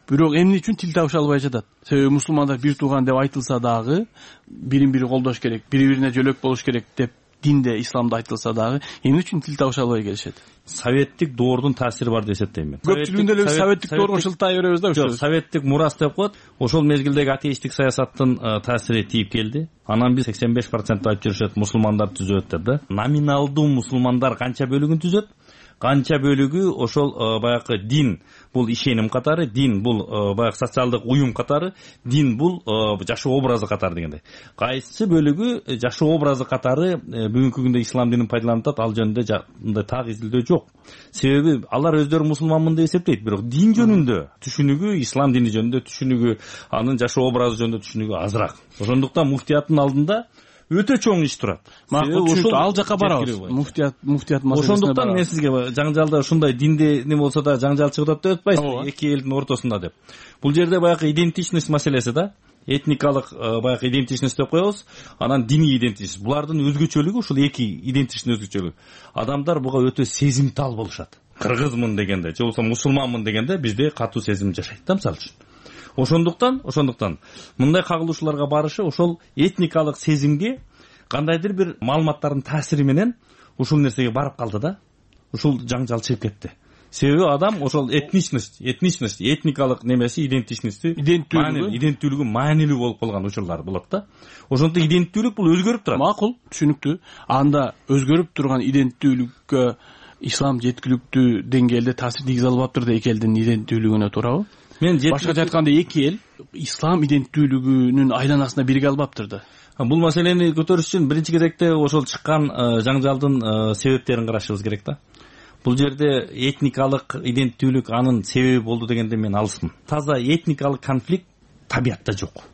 Бирок эмне үчүн тил табыша албай жатат? Себеби мусулмандар бир тууган деп айтылса дагы, бирин бири колдош керек, бири-бирине жөлөк болуш керек деп динде, исламда айтылса дагы, эмне үчүн тил табыша албай келишет? Советтик доордун таасири бар деп эсептейм мен. Көпчүлүгүндө эле советтик доорго шылтай беребиз да. Жок, советтик мурас деп коет. Ошол мезгилдеги атеисттик саясаттын таасири тийип келди. Анан биз сексен беш процент айтып жүрүшөт, мусулмандар түзөт деп да. Номиналдуу мусулмандар канча бөлүгүн түзөт? Канча бөлүгү ошол баягы дин бул ишеним катары, дин бул баягы социалдык уюм катары, дин бул жашоо образы катары дегендей. Кайсы бөлүгү жашоо образы катары бүгүнкү күндө ислам динин пайдаланып атат, ал жөнүндө мындай так изилдөө жок. Себеби алар өздөрү мусулманмын деп эсептейт, бирок дин жөнүндө түшүнүгү, ислам дини жөнүндө түшүнүгү, анын жашоо образы жөнүндө түшүнүгү азыраак. Ошондуктан муфтияттын алдында өтө чоң иш турат. Макул, ушул ал жака барабыз. Муфтият, муфтият маселесине барабыз. Ошондуктан мен сизге жаңжалда ушундай динде не болсо да жаңжал чыгып атат деп атпайсызбы, эки элдин ортосунда деп. Бул жерде баягы идентичность маселеси да, этникалык баягы идентичность деп коебуз, анан диний идентичность. Булардын өзгөчөлүгү ушул эки идентичность өзгөчөлүгү. Адамдар буга өтө сезимтал болушат. Кыргызмын дегенде, же болбосо мусулманмын дегенде бизде катуу сезим жашайт да, мисалы үчүн. Ошондуктан, ошондуктан мындай кагылышууларга барышы ошол этникалык сезимге кандайдыр бир маалыматтардын таасири менен ушул нерсеге барып калды да. Ушул жаңжал чыгып кетти. Себеби адам ошол этничность, этничность, этникалык немеси, идентичности, иденттүүлүгү, иденттүүлүгү маанилүү болуп калган учурлар болот да. Ошондо иденттүүлүк бул өзгөрүп турат. Макул, түшүнүктүү. Анда өзгөрүп турган иденттүүлүккө ислам жеткиликтүү деңгээлде таасир тийгизе албаптыр да эки элдин иденттүүлүгүнө, туурабы? Мен башкача айтканда эки эл ислам иденттүүлүгүнүн айланасына бирге албаптыр да. Бул маселени көтөрүш үчүн биринчи кезекте ошол чыккан жаңжалдын себептерин карашыбыз керек да. Бул жерде этникалык иденттүүлүк анын себеби болду дегенде мен алысмын. Таза этникалык конфликт табиятта жок.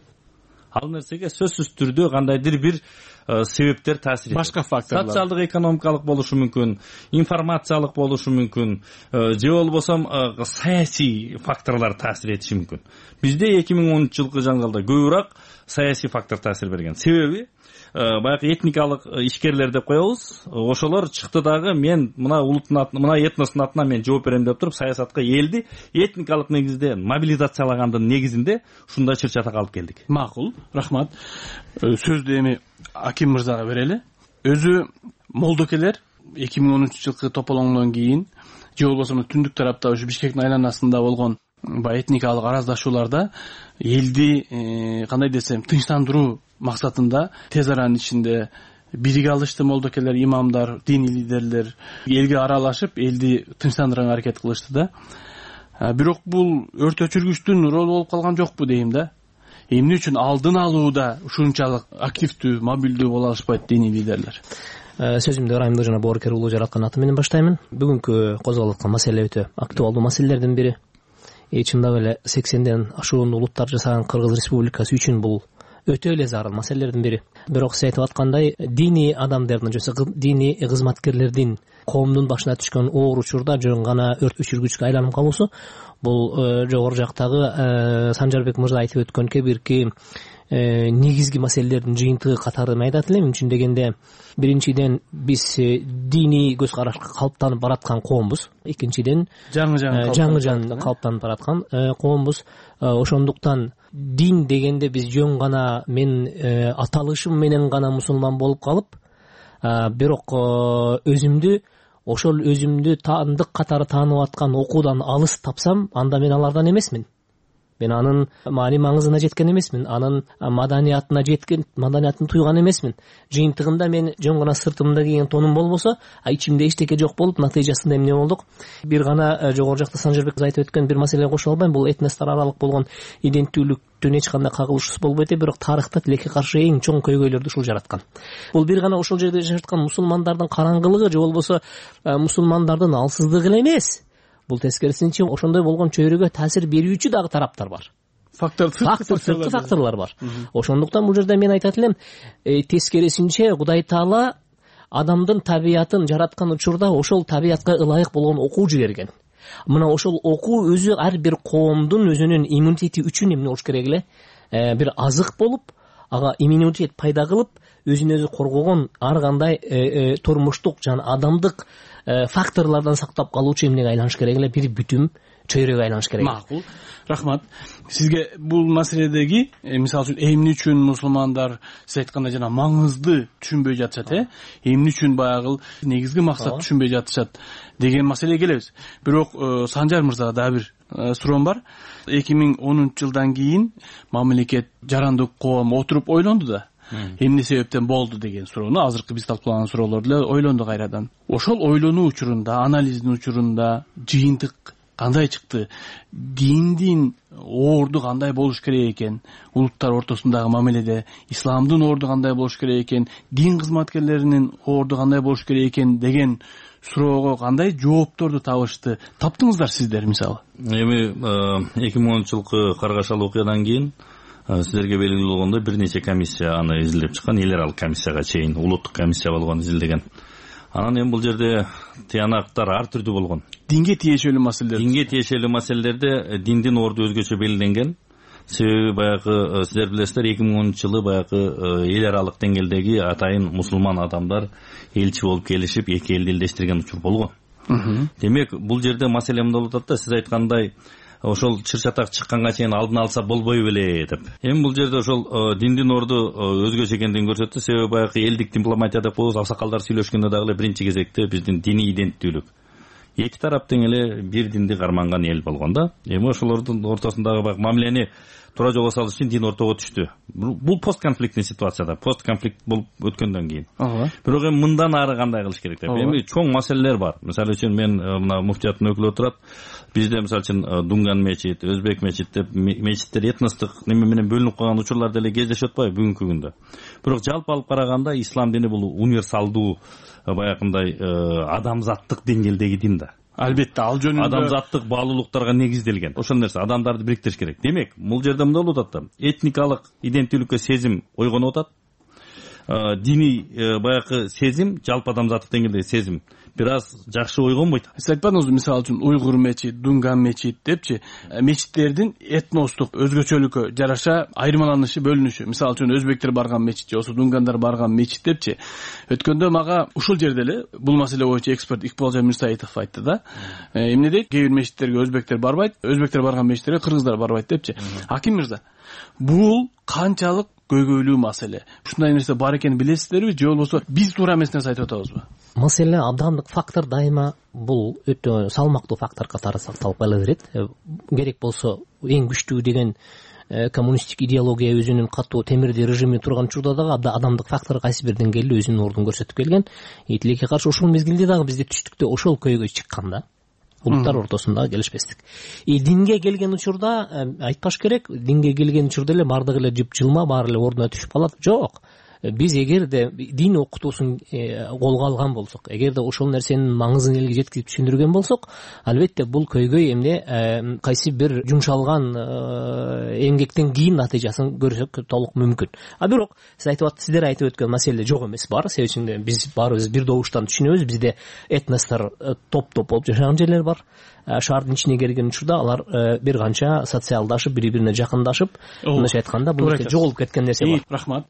Ал нерсеге сөзсүз түрдө кандайдыр бир себептер таасир этет. Башка факторлор. Социалдык, экономикалык болушу мүмкүн, информациялык болушу мүмкүн, же болбосо саясий факторлор таасир этиши мүмкүн. Бизде эки миң онунчу жылкы жаңгылда көбүрөөк саясий фактор таасир берген. Себеби баягы этникалык ишкерлер деп коебуз. Ошолор чыкты дагы мен мына улуттун атынан, мына этностун атынан мен жооп берем деп туруп саясатка элди этникалык негизде мобилизациялагандын негизинде ушундай чыр-чатак алып келдик. Макул, рахмат. Сөздү эми Аким мырзага берели. Өзү молдокелер эки миң онунчу жылкы тополоңдон кийин же болбосо түндүк тарапта ушу Бишкектин айланасында болгон баягы этникалык араздашууларда элди кандай десем тынчтандыруу максатында тез аранын ичинде бириге алышты молдокелер, имамдар, диний лидерлер элге аралашып, элди тынчтандырганга аракет кылышты да. Бирок бул өрт өчүргүчтүн ролу болуп калган жокпу дейм да. Эмне үчүн алдын алууда ушунчалык активдүү, мобилдүү боло алышпайт диний лидерлер? Сөзүмдү ырайымдуу жана боорукер улуу жараткан аты менен баштаймын. Бүгүнкү козголуп аткан маселе өтө актуалдуу маселелердин бири. И чындап эле сексенден ашуун улуттар жасаган Кыргыз Республикасы үчүн бул өтө эле зарыл маселелердин бири. Бирок сиз айтып аткандай, диний адамдардын же диний кызматкерлердин коомдун башына түшкөн оор учурда жөн гана өрт өчүргүчкө айланып калуусу бул жогору жактагы Санжарбек мырза айтып өткөн кебирки негизги маселелердин жыйынтыгы катары мен айтат элем. Үчүн дегенде биринчиден биз диний көз карашка калыптанып бараткан коомбуз. Экинчиден жаңы жаңы калыптанып бараткан коомбуз. Ошондуктан дин дегенде биз жөн гана мен аталышым менен гана мусулман болуп калып, бирок өзүмдү ошол өзүмдү таандык катары таанып аткан окуудан алыс тапсам, анда мен алардан эмесмин. Мен анын маани маңызына жеткен эмесмин, анын маданиятына жеткен, маданиятын туйган эмесмин. Жыйынтыгында мен жөн гана сыртымда кийген тонум болбосо, а ичимде эчтеке жок болуп, натыйжасында эмне болдук? Бир гана жогору жакта Санжарбек айтып өткөн бир маселеге кошо албайм. Бул этностор аралык болгон иденттүүлүктүн эч кандай кагылышуусу болбойт, бирок тарыхта тилекке каршы эң чоң көйгөйлөрдү ушул жараткан. Бул бир гана ошол жерде жашаткан мусулмандардын караңгылыгы же болбосо мусулмандардын алсыздыгы эле эмес. Бул тескерисинче ошондой болгон чөйрөгө таасир берүүчү дагы тараптар бар. Фактор, сырткы факторлор бар. Ошондуктан бул жерде мен айтат элем, тескерисинче Кудай Таала адамдын табиятын жараткан учурда ошол табиятка ылайык болгон окуу жиберген. Мына ошол окуу өзү ар бир коомдун өзүнүн иммунитети үчүн эмне болуш керек эле? Бир азык болуп, ага иммунитет пайда кылып, өзүн өзү коргогон ар кандай турмуштук жана адамдык факторлордон сактап калуучу эмнеге айланыш керек эле? Бир бүтүм чөйрөгө айланыш керек. Макул. Рахмат. Сизге бул маселедеги, мисалы үчүн эмне үчүн мусулмандар сиз айткандай жана маңызды түшүнбөй жатышат, э? Эмне үчүн баягы негизги максат түшүнбөй жатышат деген маселеге келебиз. Бирок Санжар мырзага дагы бир суроом бар. эки миң онунчу жылдан кийин мамлекет жарандык коом отуруп ойлонду да. Эмне себептен болду деген суроону азыркы биз талкуулаган суроолорду эле ойлонду кайрадан. Ошол ойлонуу учурунда, анализдин учурунда жыйынтык кандай чыкты? Диндин орду кандай болуш керек экен? Улуттар ортосундагы мамиледе исламдын орду кандай болуш керек экен? Дин кызматкерлеринин орду кандай болуш керек экен деген суроого кандай жоопторду табышты? Таптыңыздар сиздер мисалы? Эми эки миң онунчу жылкы каргашалы окуядан кийин сиздерге белгилүү болгондой бир нече комиссия аны изилдеп чыккан, эл аралык комиссияга чейин улуттук комиссия болгон, изилдеген. Анан эми бул жерде тыянактар ар түрдүү болгон. Динге тиешелүү маселелер. Динге тиешелүү маселелерде диндин орду өзгөчө белгиленген. Себеби баягы сиздер билесиздер, эки миң онунчу жылы баягы эл аралык деңгээлдеги атайын мусулман адамдар элчи болуп келишип, эки элди элдештирген учур болгон. Демек, бул жерде маселе эмне болуп атат да, сиз айткандай ошол чыр-чатак чыкканга чейин алдын алса болбой беле деп. Эми бул жерде ошол диндин орду өзгөчө экендигин көрсөттү. Себеби баягы элдик дипломатия деп коебуз, аксакалдар сүйлөшкөндө дагы эле биринчи кезекте биздин диний иденттүүлүк. Эки тарап тең эле бир динди карманган эл болгон да. Эми ошолордун ортосундагы баягы мамилени туура жолго салыш үчүн дин ортого түштү. Бул постконфликтный ситуацияда, постконфликт болуп өткөндөн кийин. Бирок эми мындан ары кандай кылыш керек деп. Эми чоң маселелер бар. Мисалы үчүн мен мына муфтияттын өкүлү отурат. Бизде мисалы үчүн Дунган мечит, Өзбек мечит деп мечиттер этностук неме менен бөлүнүп калган учурлар деле кездешип атпайбы бүгүнкү күндө. Бирок жалпы алып караганда ислам дини бул универсалдуу баягындай адамзаттык деңгээлдеги дин да. Албетте, ал жөнүндө адамзаттык баалуулуктарга негизделген. Ошол нерсе адамдарды бириктириш керек. Демек, бул жерде мындай болуп атат да. Этникалык иденттүүлүккө сезим ойгонуп атат. диний баягы сезим, жалпы адамзаттык деңгээлдеги сезим бир аз жакшы ойгонбойт. Сиз айтпадыңызбы, мисалы үчүн уйгур мечит, дунган мечит депчи, мечиттердин этностук өзгөчөлүккө жараша айырмаланышы, бөлүнүшү. Мисалы үчүн өзбектер барган мечит же болбосо дунгандар барган мечит депчи. Өткөндө мага ушул жерде эле бул маселе боюнча эксперт Икбалжан Мирсаитов айтты да. Эмне дейт? Кээ бир мечиттерге өзбектер барбайт, өзбектер барган мечиттерге кыргыздар барбайт депчи. Аким мырза, бул канчалык көйгөйлүү маселе? Ушундай нерсе бар экенин билесиздерби же болбосо биз туура эмес нерсе айтып атабызбы? Маселе абдандык фактор дайыма бул өтө салмактуу фактор катары сакталып кала берет. Керек болсо эң күчтүү деген коммунисттик идеология өзүнүн катуу темирди режими турган учурда дагы адамдык фактор кайсы бир деңгээлде өзүнүн ордун көрсөтүп келген. Тилекке каршы ушул мезгилде дагы бизде түштүктө ошол көйгөй чыккан да. Улуттар ортосунда келишпестик. И динге келген учурда айтпаш керек, динге келген учурда эле бардыгы эле жып жылма, баары эле ордуна түшүп калат. Жок. Биз эгерде дин окутуусун колго алган болсок, эгерде ошол нерсенин маңызын элге жеткирип түшүндүргөн болсок, албетте бул көйгөй эмне кайсы бир жумшалган эмгектен кийин натыйжасын көрсөк толук мүмкүн. А бирок сиз айтып сиздер айтып өткөн маселе жок эмес бар. Себеби үчүн биз баарыбыз бир добуштан түшүнөбүз. Бизде этностор топ-топ болуп жашаган жерлер бар. Шаардын ичине келген учурда алар бир канча социалдашып, бири-бирине жакындашып, мындайча айтканда бул жоголуп кеткен нерсе бар. Рахмат.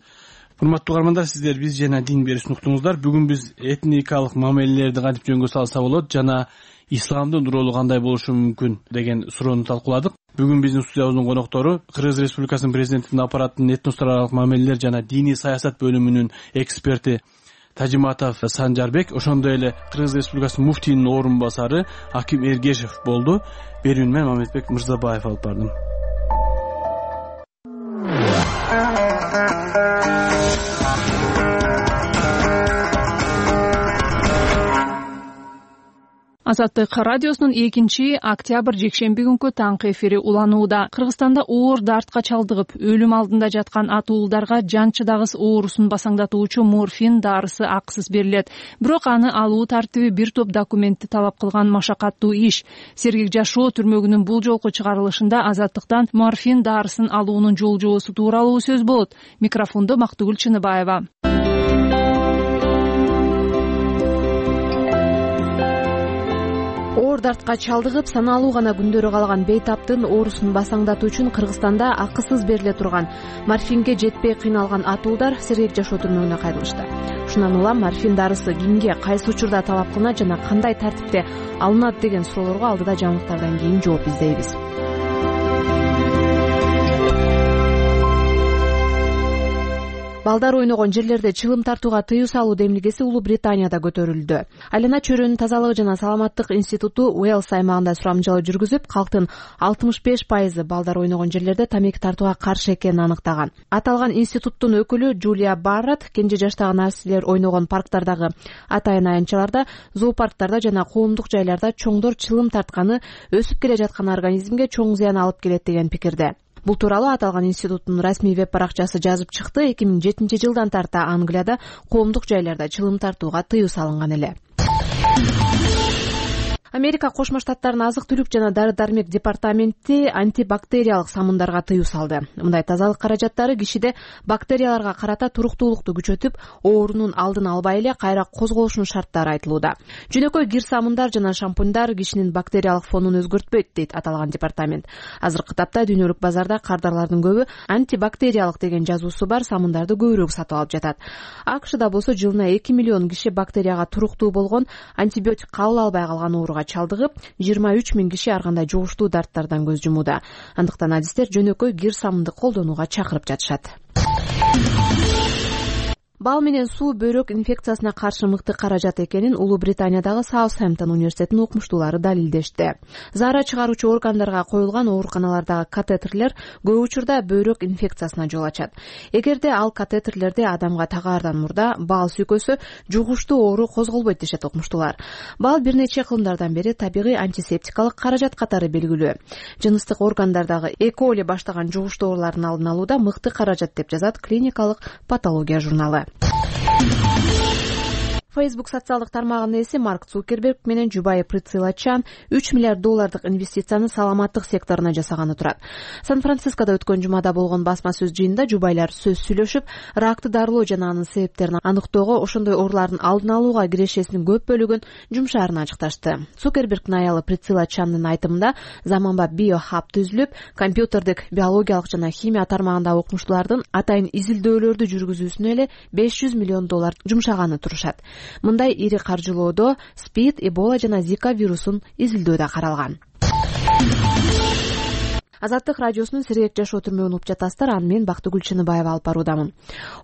Урматтуу угармандар, сиздер биз жана дин берүүсүн уктуңуздар. Бүгүн биз этникалык мамилелерди кантип жөнгө салса болот жана исламдын ролу кандай болушу мүмкүн деген суроону талкууладык. Бүгүн биздин студиябыздын коноктору Кыргыз Республикасынын президентинин аппаратынын этностор аралык мамилелер жана диний саясат бөлүмүнүн эксперти Тажиматов Санжарбек, ошондой эле Кыргыз Республикасынын муфтийинин орун басары Аким Эргешев болду. Берүүнү мен Мамедбек Мырзабаев алып бардым. Азаттык радиосунун экинчи октябрь жекшемби күнкү таңкы эфири уланууда. Кыргызстанда оор дартка чалдыгып, өлүм алдында жаткан атуулдарга жан чыдагыс оорусун басаңдатуучу морфин дарысы акысыз берилет. Бирок аны алуу тартиби бир топ документти талап кылган машакаттуу иш. Сергек жашоо түрмөгүнүн бул жолку чыгарылышында Азаттыктан морфин дарысын алуунун жол жоосу тууралуу сөз болот. Микрофондо Мактыгүл Чыныбаева. Оор дартка чалдыгып, саналуу гана күндөрү калган бейтаптын оорусун басаңдатуу үчүн Кыргызстанда акысыз бериле турган морфинге жетпей кыйналган атуулдар Сергек жашоо түрмөгүнө кайрылышты. Шундан улам морфин дарысы кимге, кайсы учурда талап кылынат жана кандай тартипте алынат деген суроолорго алдыда жаңылыктардан кийин жооп издейбиз. Балдар ойногон жерлерде чылым тартууга тыюу салуу демилгеси Улуу Британияда көтөрүлдү. Айлана чөйрөнүн тазалыгы жана саламаттык институту Уэльс аймагында сурамжылоо жүргүзүп, калктын алтымыш беш пайызы балдар ойногон жерлерде тамеки тартууга каршы экенин аныктаган. Аталган институттун өкүлү Джулия Барретт кенже жаштагы населер ойногон парктардагы атайын аянтчаларда, зоопарктарда жана коомдук жайларда чоңдор чылым тартканы өсүп келе жаткан организмге чоң зыян алып келет деген пикирде. Бул тууралуу аталган институттун расмий веб-баракчасы жазып чыкты. эки миң жетинчи жылдан тарта Англияда коомдук жайларда чылым тартууга тыюу салынган эле. Америка Кошмо Штаттарынын азык-түлүк жана дары-дармек департаменти антибактериялык самындарга тыюу салды. Мындай тазалык каражаттары кишиде бактерияларга карата туруктуулукту күчөтүп, оорунун алдын албай эле кайра козголушунун шарттары айтылууда. Жөнөкөй кир самындар жана шампуньдар кишинин бактериялык фонун өзгөртпөйт, дейт аталган департамент. Азыркы тапта дүйнөлүк базарда кардарлардын көбү антибактериялык деген жазуусу бар самындарды көбүрөөк сатып алып жатат. АКШда болсо жылына эки миллион киши бактерияга туруктуу болгон антибиотик кабыл албай калган ооруга чалдыгып, жыйырма үч миң киши ар кандай жугуштуу дарттардан көз жумууда. Андыктан адистер жөнөкөй кир самынды колдонууга чакырып жатышат. Бал менен суу бөйрөк инфекциясына каршы мыкты каражат экенин Улуу Британиядагы Саутхэмптон университетинин окумуштуулары далилдешти. Заара чыгаруучу органдарга коюлган ооруканалардагы катетерлер көп учурда бөйрөк инфекциясына жол ачат. Эгерде ал катетерлерди адамга тагаардан мурда бал сүйкөсө, жугуштуу оору козголбойт дешет окумуштуулар. Бал бир нече кылымдардан бери табигый антисептикалык каражат катары белгилүү. Жыныстык органдардагы Э. коли баштаган жугуштуу оорулардын алдын алууда мыкты каражат деп жазат клиникалык патология журналы. Facebook социалдык тармагынын ээси Марк Цукерберг менен жубайы Прицила Чан үч миллиард доллардык инвестицияны саламаттык секторуна жасаганы турат. Сан-Францискодо өткөн жумада болгон басма сөз жыйынында жубайлар сөз сүйлөшүп, ракты дарылоо жана анын себептерин аныктоого, ошондой оорулардын алдын алууга кирешесинин көп бөлүгүн жумшаарын ачыкташты. Цукербергдин аялы Прицила Чандын айтымында заманбап биохаб түзүлүп, компьютердик, биологиялык жана химия тармагындагы окумуштуулардын атайын изилдөөлөрдү жүргүзүүсүнө эле беш жүз миллион доллар жумшаганы турушат. Мындай ири каржылоодо СПИД, Эбола жана Зика вирусун изилдөө да каралган. Азаттык радиосунун Сергек жашоо түрмөгүн угуп жатасыздар. Аны мен Бактыгүл Чыныбаева алып баруудамын.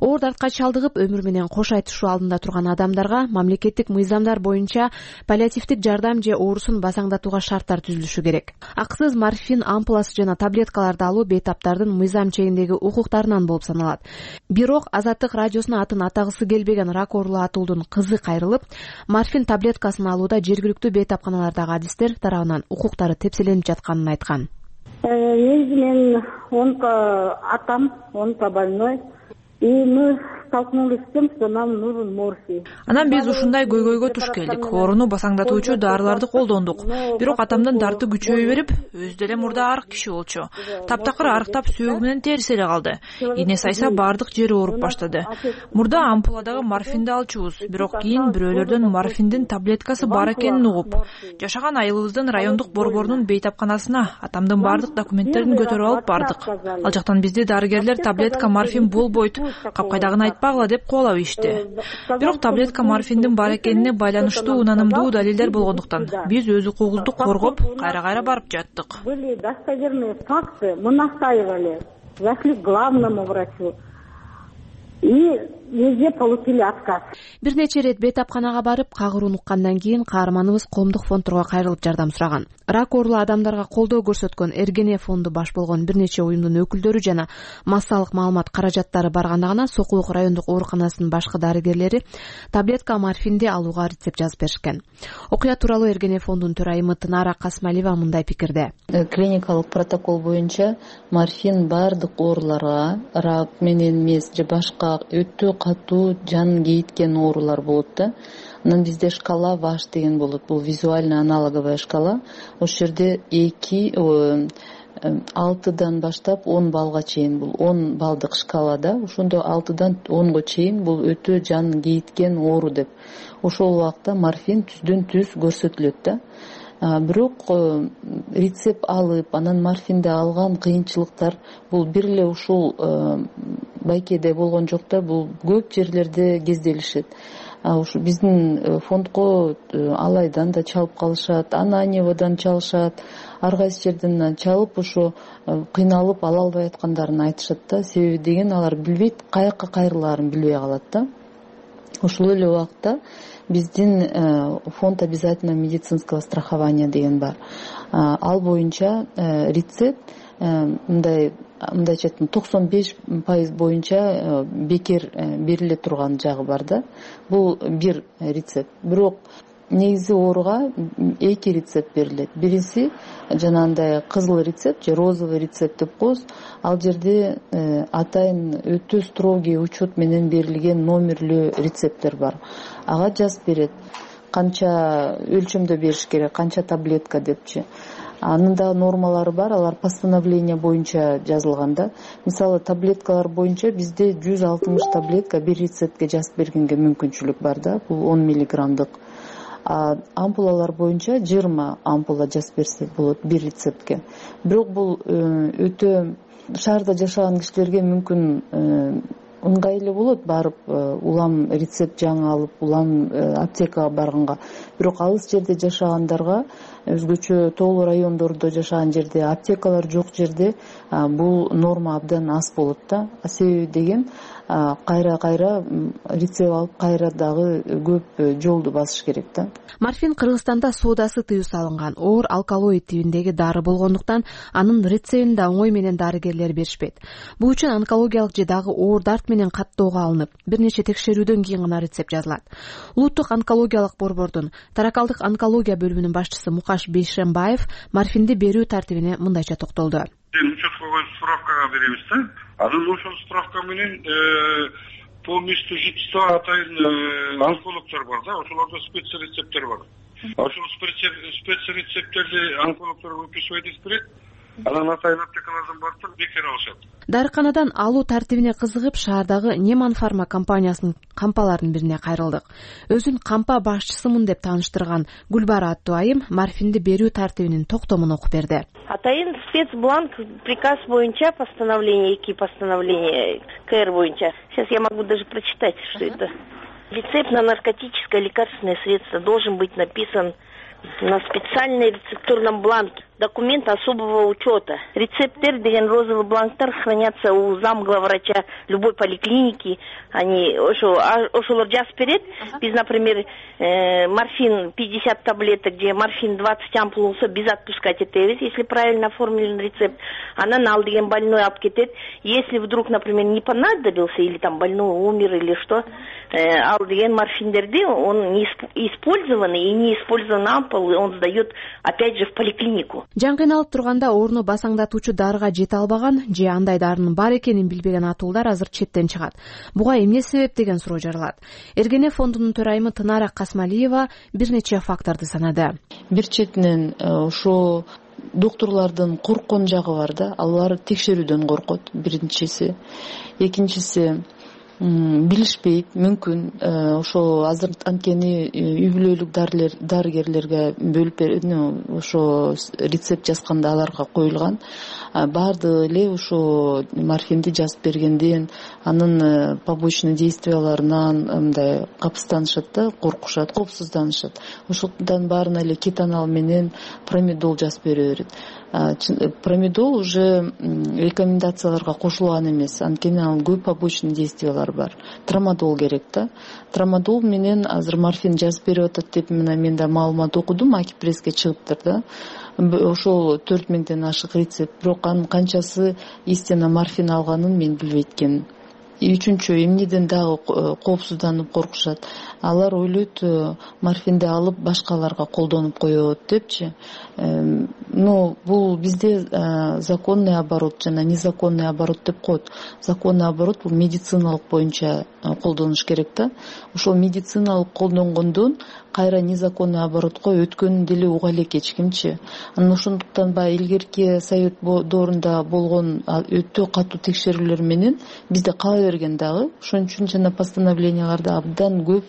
Оор дартка чалдыгып өмүр менен кош айтышуу алдында турган адамдарга мамлекеттик мыйзамдар боюнча паллиативдик жардам же оорусун басаңдатууга шарттар түзүлүшү керек. Акысыз морфин ампуласы жана таблеткаларды алуу бейтаптардын мыйзам чегиндеги укуктарынан болуп саналат. Бирок Азаттык радиосуна атын атагысы келбеген рак оорулуу атуулдун кызы кайрылып, морфин таблеткасын алууда жергиликтүү бейтапканалардагы адистер тарабынан укуктары тепселенип жатканын айткан. Негизи мен онко-атам, онко-больной. И мы столкнулись с тем, что нам нужен морфий. Анан биз ушундай көйгөйгө туш келдик. Ооруну басаңдатуучу дарыларды колдондук. Бирок атамдын дарты күчөйө берип, өзү деле мурда арык киши болчу. Таптакыр арыктап сөөгү менен териси эле калды. Ийне сайса бардык жери ооруп баштады. Мурда ампуладагы морфинди алчубуз. Бирок кийин бирөөлөрдөн морфиндин таблеткасы бар экенин угуп, жашаган айылыбыздын райондук борборунун бейтапканасына атамдын бардык документтерин көтөрүп алып бардык. Ал жактан бизди дарыгерлер таблетка морфин болбойт, капкайдагыны айтпагыла деп кубалап ийишти. Бирок таблетка морфиндин бар экенине байланыштуу унанымдуу далилдер болгондуктан биз өз укугубузду коргоп, кайра-кайра барып жаттык. Были достоверные факты, мы настаивали, зашли к главному врачу. И везде получили отказ. Бир нече ирет бейтапканага барып, кагырууну уккандан кийин каарманыбыз коомдук фондторго кайрылып жардам сураган. Рак оорулуу адамдарга колдоо көрсөткөн Эргене фонду баш болгон бир нече уюмдун өкүлдөрү жана массалык маалымат каражаттары барганда гана Сокулук райондук ооруканасынын башкы дарыгерлери таблетка морфинди алууга рецепт жазып беришкен. Окуя тууралуу Эргене фондунун төрайымы Тынара Касмалиева мындай пикирде. Клиникалык протокол боюнча морфин бардык ооруларга, рак менен эмес же башка өтө катуу жан кейиткен оорулар болот да. Анан бизде шкала ваш деген болот. Бул визуально аналоговая шкала. Ошол жерде эки алтыдан баштап он балга чейин, бул он балдык шкалада, ошондо алтыдан онго чейин бул өтө жан кейиткен оору деп. Ошол убакта морфин түздөн түз көрсөтүлөт да. Бирок рецепт алып, анан морфинди алган кыйынчылыктар бул бир эле ушул Байкеде болгон жок да, бул көп жерлерде кезделишет. Ушу биздин фондко Алайдан да чалып калышат, Ананьевадан чалышат, ар кайсы жерден чалып ошо кыйналып ала албай аткандарын айтышат да. Себеби деген алар билбейт, каяка кайрылаарын билбей калат да. Ошол эле убакта биздин фонд обязательного медицинского страхования деген бар. Ал боюнча рецепт мындай мындайча айтканда токсон беш пайыз боюнча бекер бериле турган жагы бар да. Бул бир рецепт. Бирок негизи ооруга эки рецепт берилет. Биринчиси жанагындай кызыл рецепт же розовый рецепт деп коебуз. Ал жерде атайын өтө строгий учет менен берилген номерлүү рецепттер бар. Ага жазып берет. Канча өлчөмдө бериш керек, канча таблетка депчи. Анын да нормалары бар, алар постановление боюнча жазылган да. Мисалы таблеткалар боюнча бизде жүз алтымыш таблетка бир рецептке жазып бергенге мүмкүнчүлүк бар да. Бул он миллиграммдык. Ампулалар боюнча жыйырма ампула жазып берсе болот бир рецептке. Бирок бул өтө шаарда жашаган кишилерге мүмкүн ыңгайлуу болот, барып улам рецепт жаңы алып, улам аптекага барганга. Бирок алыс жерде жашагандарга, өзгөчө тоолуу райондордо жашаган жерде, аптекалар жок жерде бул норма абдан аз болот да. Себеби деген кайра-кайра рецепт алып, кайра дагы көп жолду басыш керек да. Морфин Кыргызстанда соодасы тыюу салынган оор алкалоид тибиндеги дары болгондуктан анын рецептин да оңой менен дарыгерлер беришпейт. Бул үчүн онкологиялык же дагы оор дарт менен каттоого алынып, бир нече текшерүүдөн кийин гана рецепт жазылат. Улуттук онкологиялык борбордун таракалдык онкология бөлүмүнүн башчысы Мукаш Бейшембаев морфинди берүү тартибине мындайча токтолду. Учеткого справкага беребиз да. Анан ошол справка менен по месту жительства атайын онкологдор бар да, ошолордо спецрецепттер бар. Ошол спецрецепттерди онкологдор выписывать этип берет. Анан атайын аптекалардан барып бекер алышат. Дарыканадан алуу тартибине кызыгып, шаардагы Неман Фарма компаниясынын кампаларынын бирине кайрылдык. Өзүн кампа башчысымын деп тааныштырган Гүлбара аттуу айым морфинди берүү тартибинин токтомун окуп берди. Атайын спецбланк приказ боюнча постановление, эки постановление КР боюнча. Сейчас я могу даже прочитать, что это. Рецепт на наркотическое лекарственное средство должен быть написан на специальной рецептурном бланке. Документ особого учета. Рецептер деген розовый бланктар хранятся у замглавврача любой поликлиники. Они ошолор жазып берет. Биз, например, морфин пятьдесят таблеток, где морфин двадцать ампул болсо, биз отпускать этебиз, если правильно оформлен рецепт. Анан ал деген больной алып кетет. Если вдруг, например, не понадобился, или там больной умер, или что, ал деген морфиндерди, он не использованный и не использованный ампул, он сдает опять же в поликлинику. Жан кыйналып турганда орну басаңдатуучу дарыга жете албаган же андай дарынын бар экенин билбеген атуулар азыр четтен чыгат. Буга эмне себеп деген суроо жаралат. Эргене фондунун төрайымы Тынара Касмалиева бир нече факторду санады. Бир четинен ошо докторлордун корккон жагы бар да, алар текшерүүдөн коркот, биринчиси. Экинчиси билишпейт, мүмкүн ошо азыр анткени үй бүлөлүк дарыгерлерге бөлүп ошо рецепт жазганда аларга коюлган. Баардыгы эле ошо морфинди жазып бергенден анын побочный действияларынан мындай капсызданышат да, коркушат, коопсузданышат. Ошондон баарына эле кетанал менен промедол жазып бере берет. Промедол уже рекомендацияларга кошулган эмес, анткени анын көп побочный действиялары бар. Трамадол керек да. Трамадол менен азыр морфин жазып берип атат деп мен да маалымат окудум, Акипресске чыгыптыр да. Ошол төрт миңден ашык рецепт, бирок анын канчасы истина морфин алганын мен билбейт экенмин. Үчүнчү, эмнеден дагы коопсузданып коркушат. Алар ойлойт морфинди алып башкаларга колдонуп коет депчи. Но бул бизде законный оборот жана незаконный оборот деп коет. Законный оборот бул медициналык боюнча колдонуш керек да. Ошол медициналык колдонгондон кайра незаконный оборотко өткөнүн деле уга элек эч кимчи. Анан ошондуктан баягы илгерки совет доорунда болгон өтө катуу текшерүүлөр менен бизде кала берген дагы. Ошон үчүн жана постановленияларда абдан көп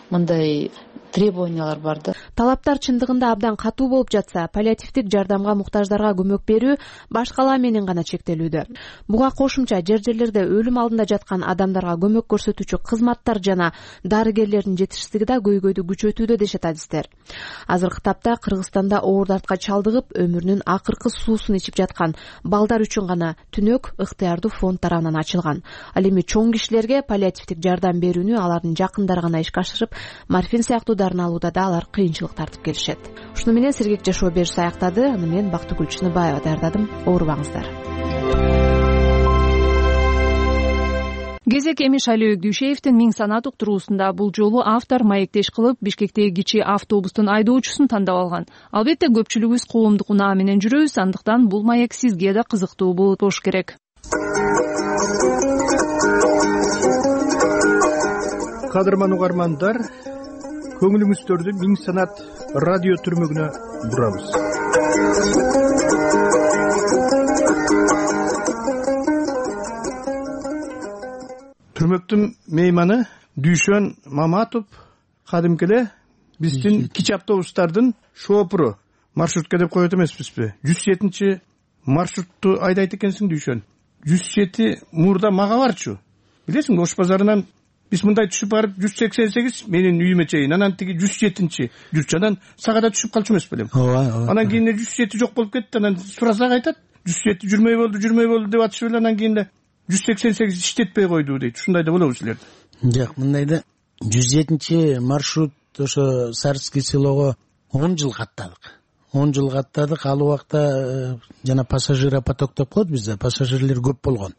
мындай требованиялар бар да. Талаптар чындыгында абдан катуу болуп жатса, паллиативдик жардамга муктаждарга көмөк берүү башкалар менен гана чектелүүдө. Буга кошумча жер-жерлерде өлүм алдында жаткан адамдарга көмөк көрсөтүүчү кызматтар жана дарыгерлердин жетишсиздиги да көйгөйдү күчөтүүдө дешет адистер. Азыркы тапта Кыргызстанда оор дартка чалдыгып, өмүрүнүн акыркы суусун ичип жаткан балдар үчүн гана түнөк ыктыярдуу фонд тарабынан ачылган. Ал эми чоң кишилерге паллиативдик жардам берүүнү алардын жакындары гана ишке ашырып, морфин сыяктуу дарыны алууда да алар кыйынчылык тартып келишет. Ушуну менен сергек жашоо бериши аяктады. Аны мен Бактыгүл Чыныбаева даярдадым. Оорубаңыздар. Кезек Эмиш Али Дүйшеевдин миң санат уктуруусунда бул жолу автор маектеш кылып Бишкектеги кичи автобустун айдоочусун тандап алган. Албетте көпчүлүгүбүз коомдук унаа менен жүрөбүз, андыктан бул маек сизге да кызыктуу болуш керек. Кадырман угармандар, көңүлүңүздөрдү миң санат радио түрмөгүнө бурабыз. Түрмөктүн мейманы Дүйшөн Маматов кадимки эле биздин кичи автобустардын шоопуру. Маршрутка деп коет эмеспизби? жүз жетинчи маршрутту айдайт экенсиң Дүйшөн. жүз жети мурда мага барчу. Билесиңби, Ош базарынан биз мындай түшүп барып жүз сексен сегиз менин үйүмө чейин, анан тиги жүз жетинчи жүрчү, анан сагада түшүп калчу эмес белем. Ооба, ооба. Анан кийин жүз жети жок болуп кетти, анан сурасак айтат, жүз жети жүрмөй болду, жүрмөй болду деп атышып эле, анан кийин жүз сексен сегиз иштетпей койду дейт. Ушундай да болобу силерде? Жок, мындай да жүз жетинчи маршрут ошо Сарский селого он жыл каттадык. он жыл каттадык. Ал убакта жана пассажиропоток деп коет бизде, пассажирлер көп болгон.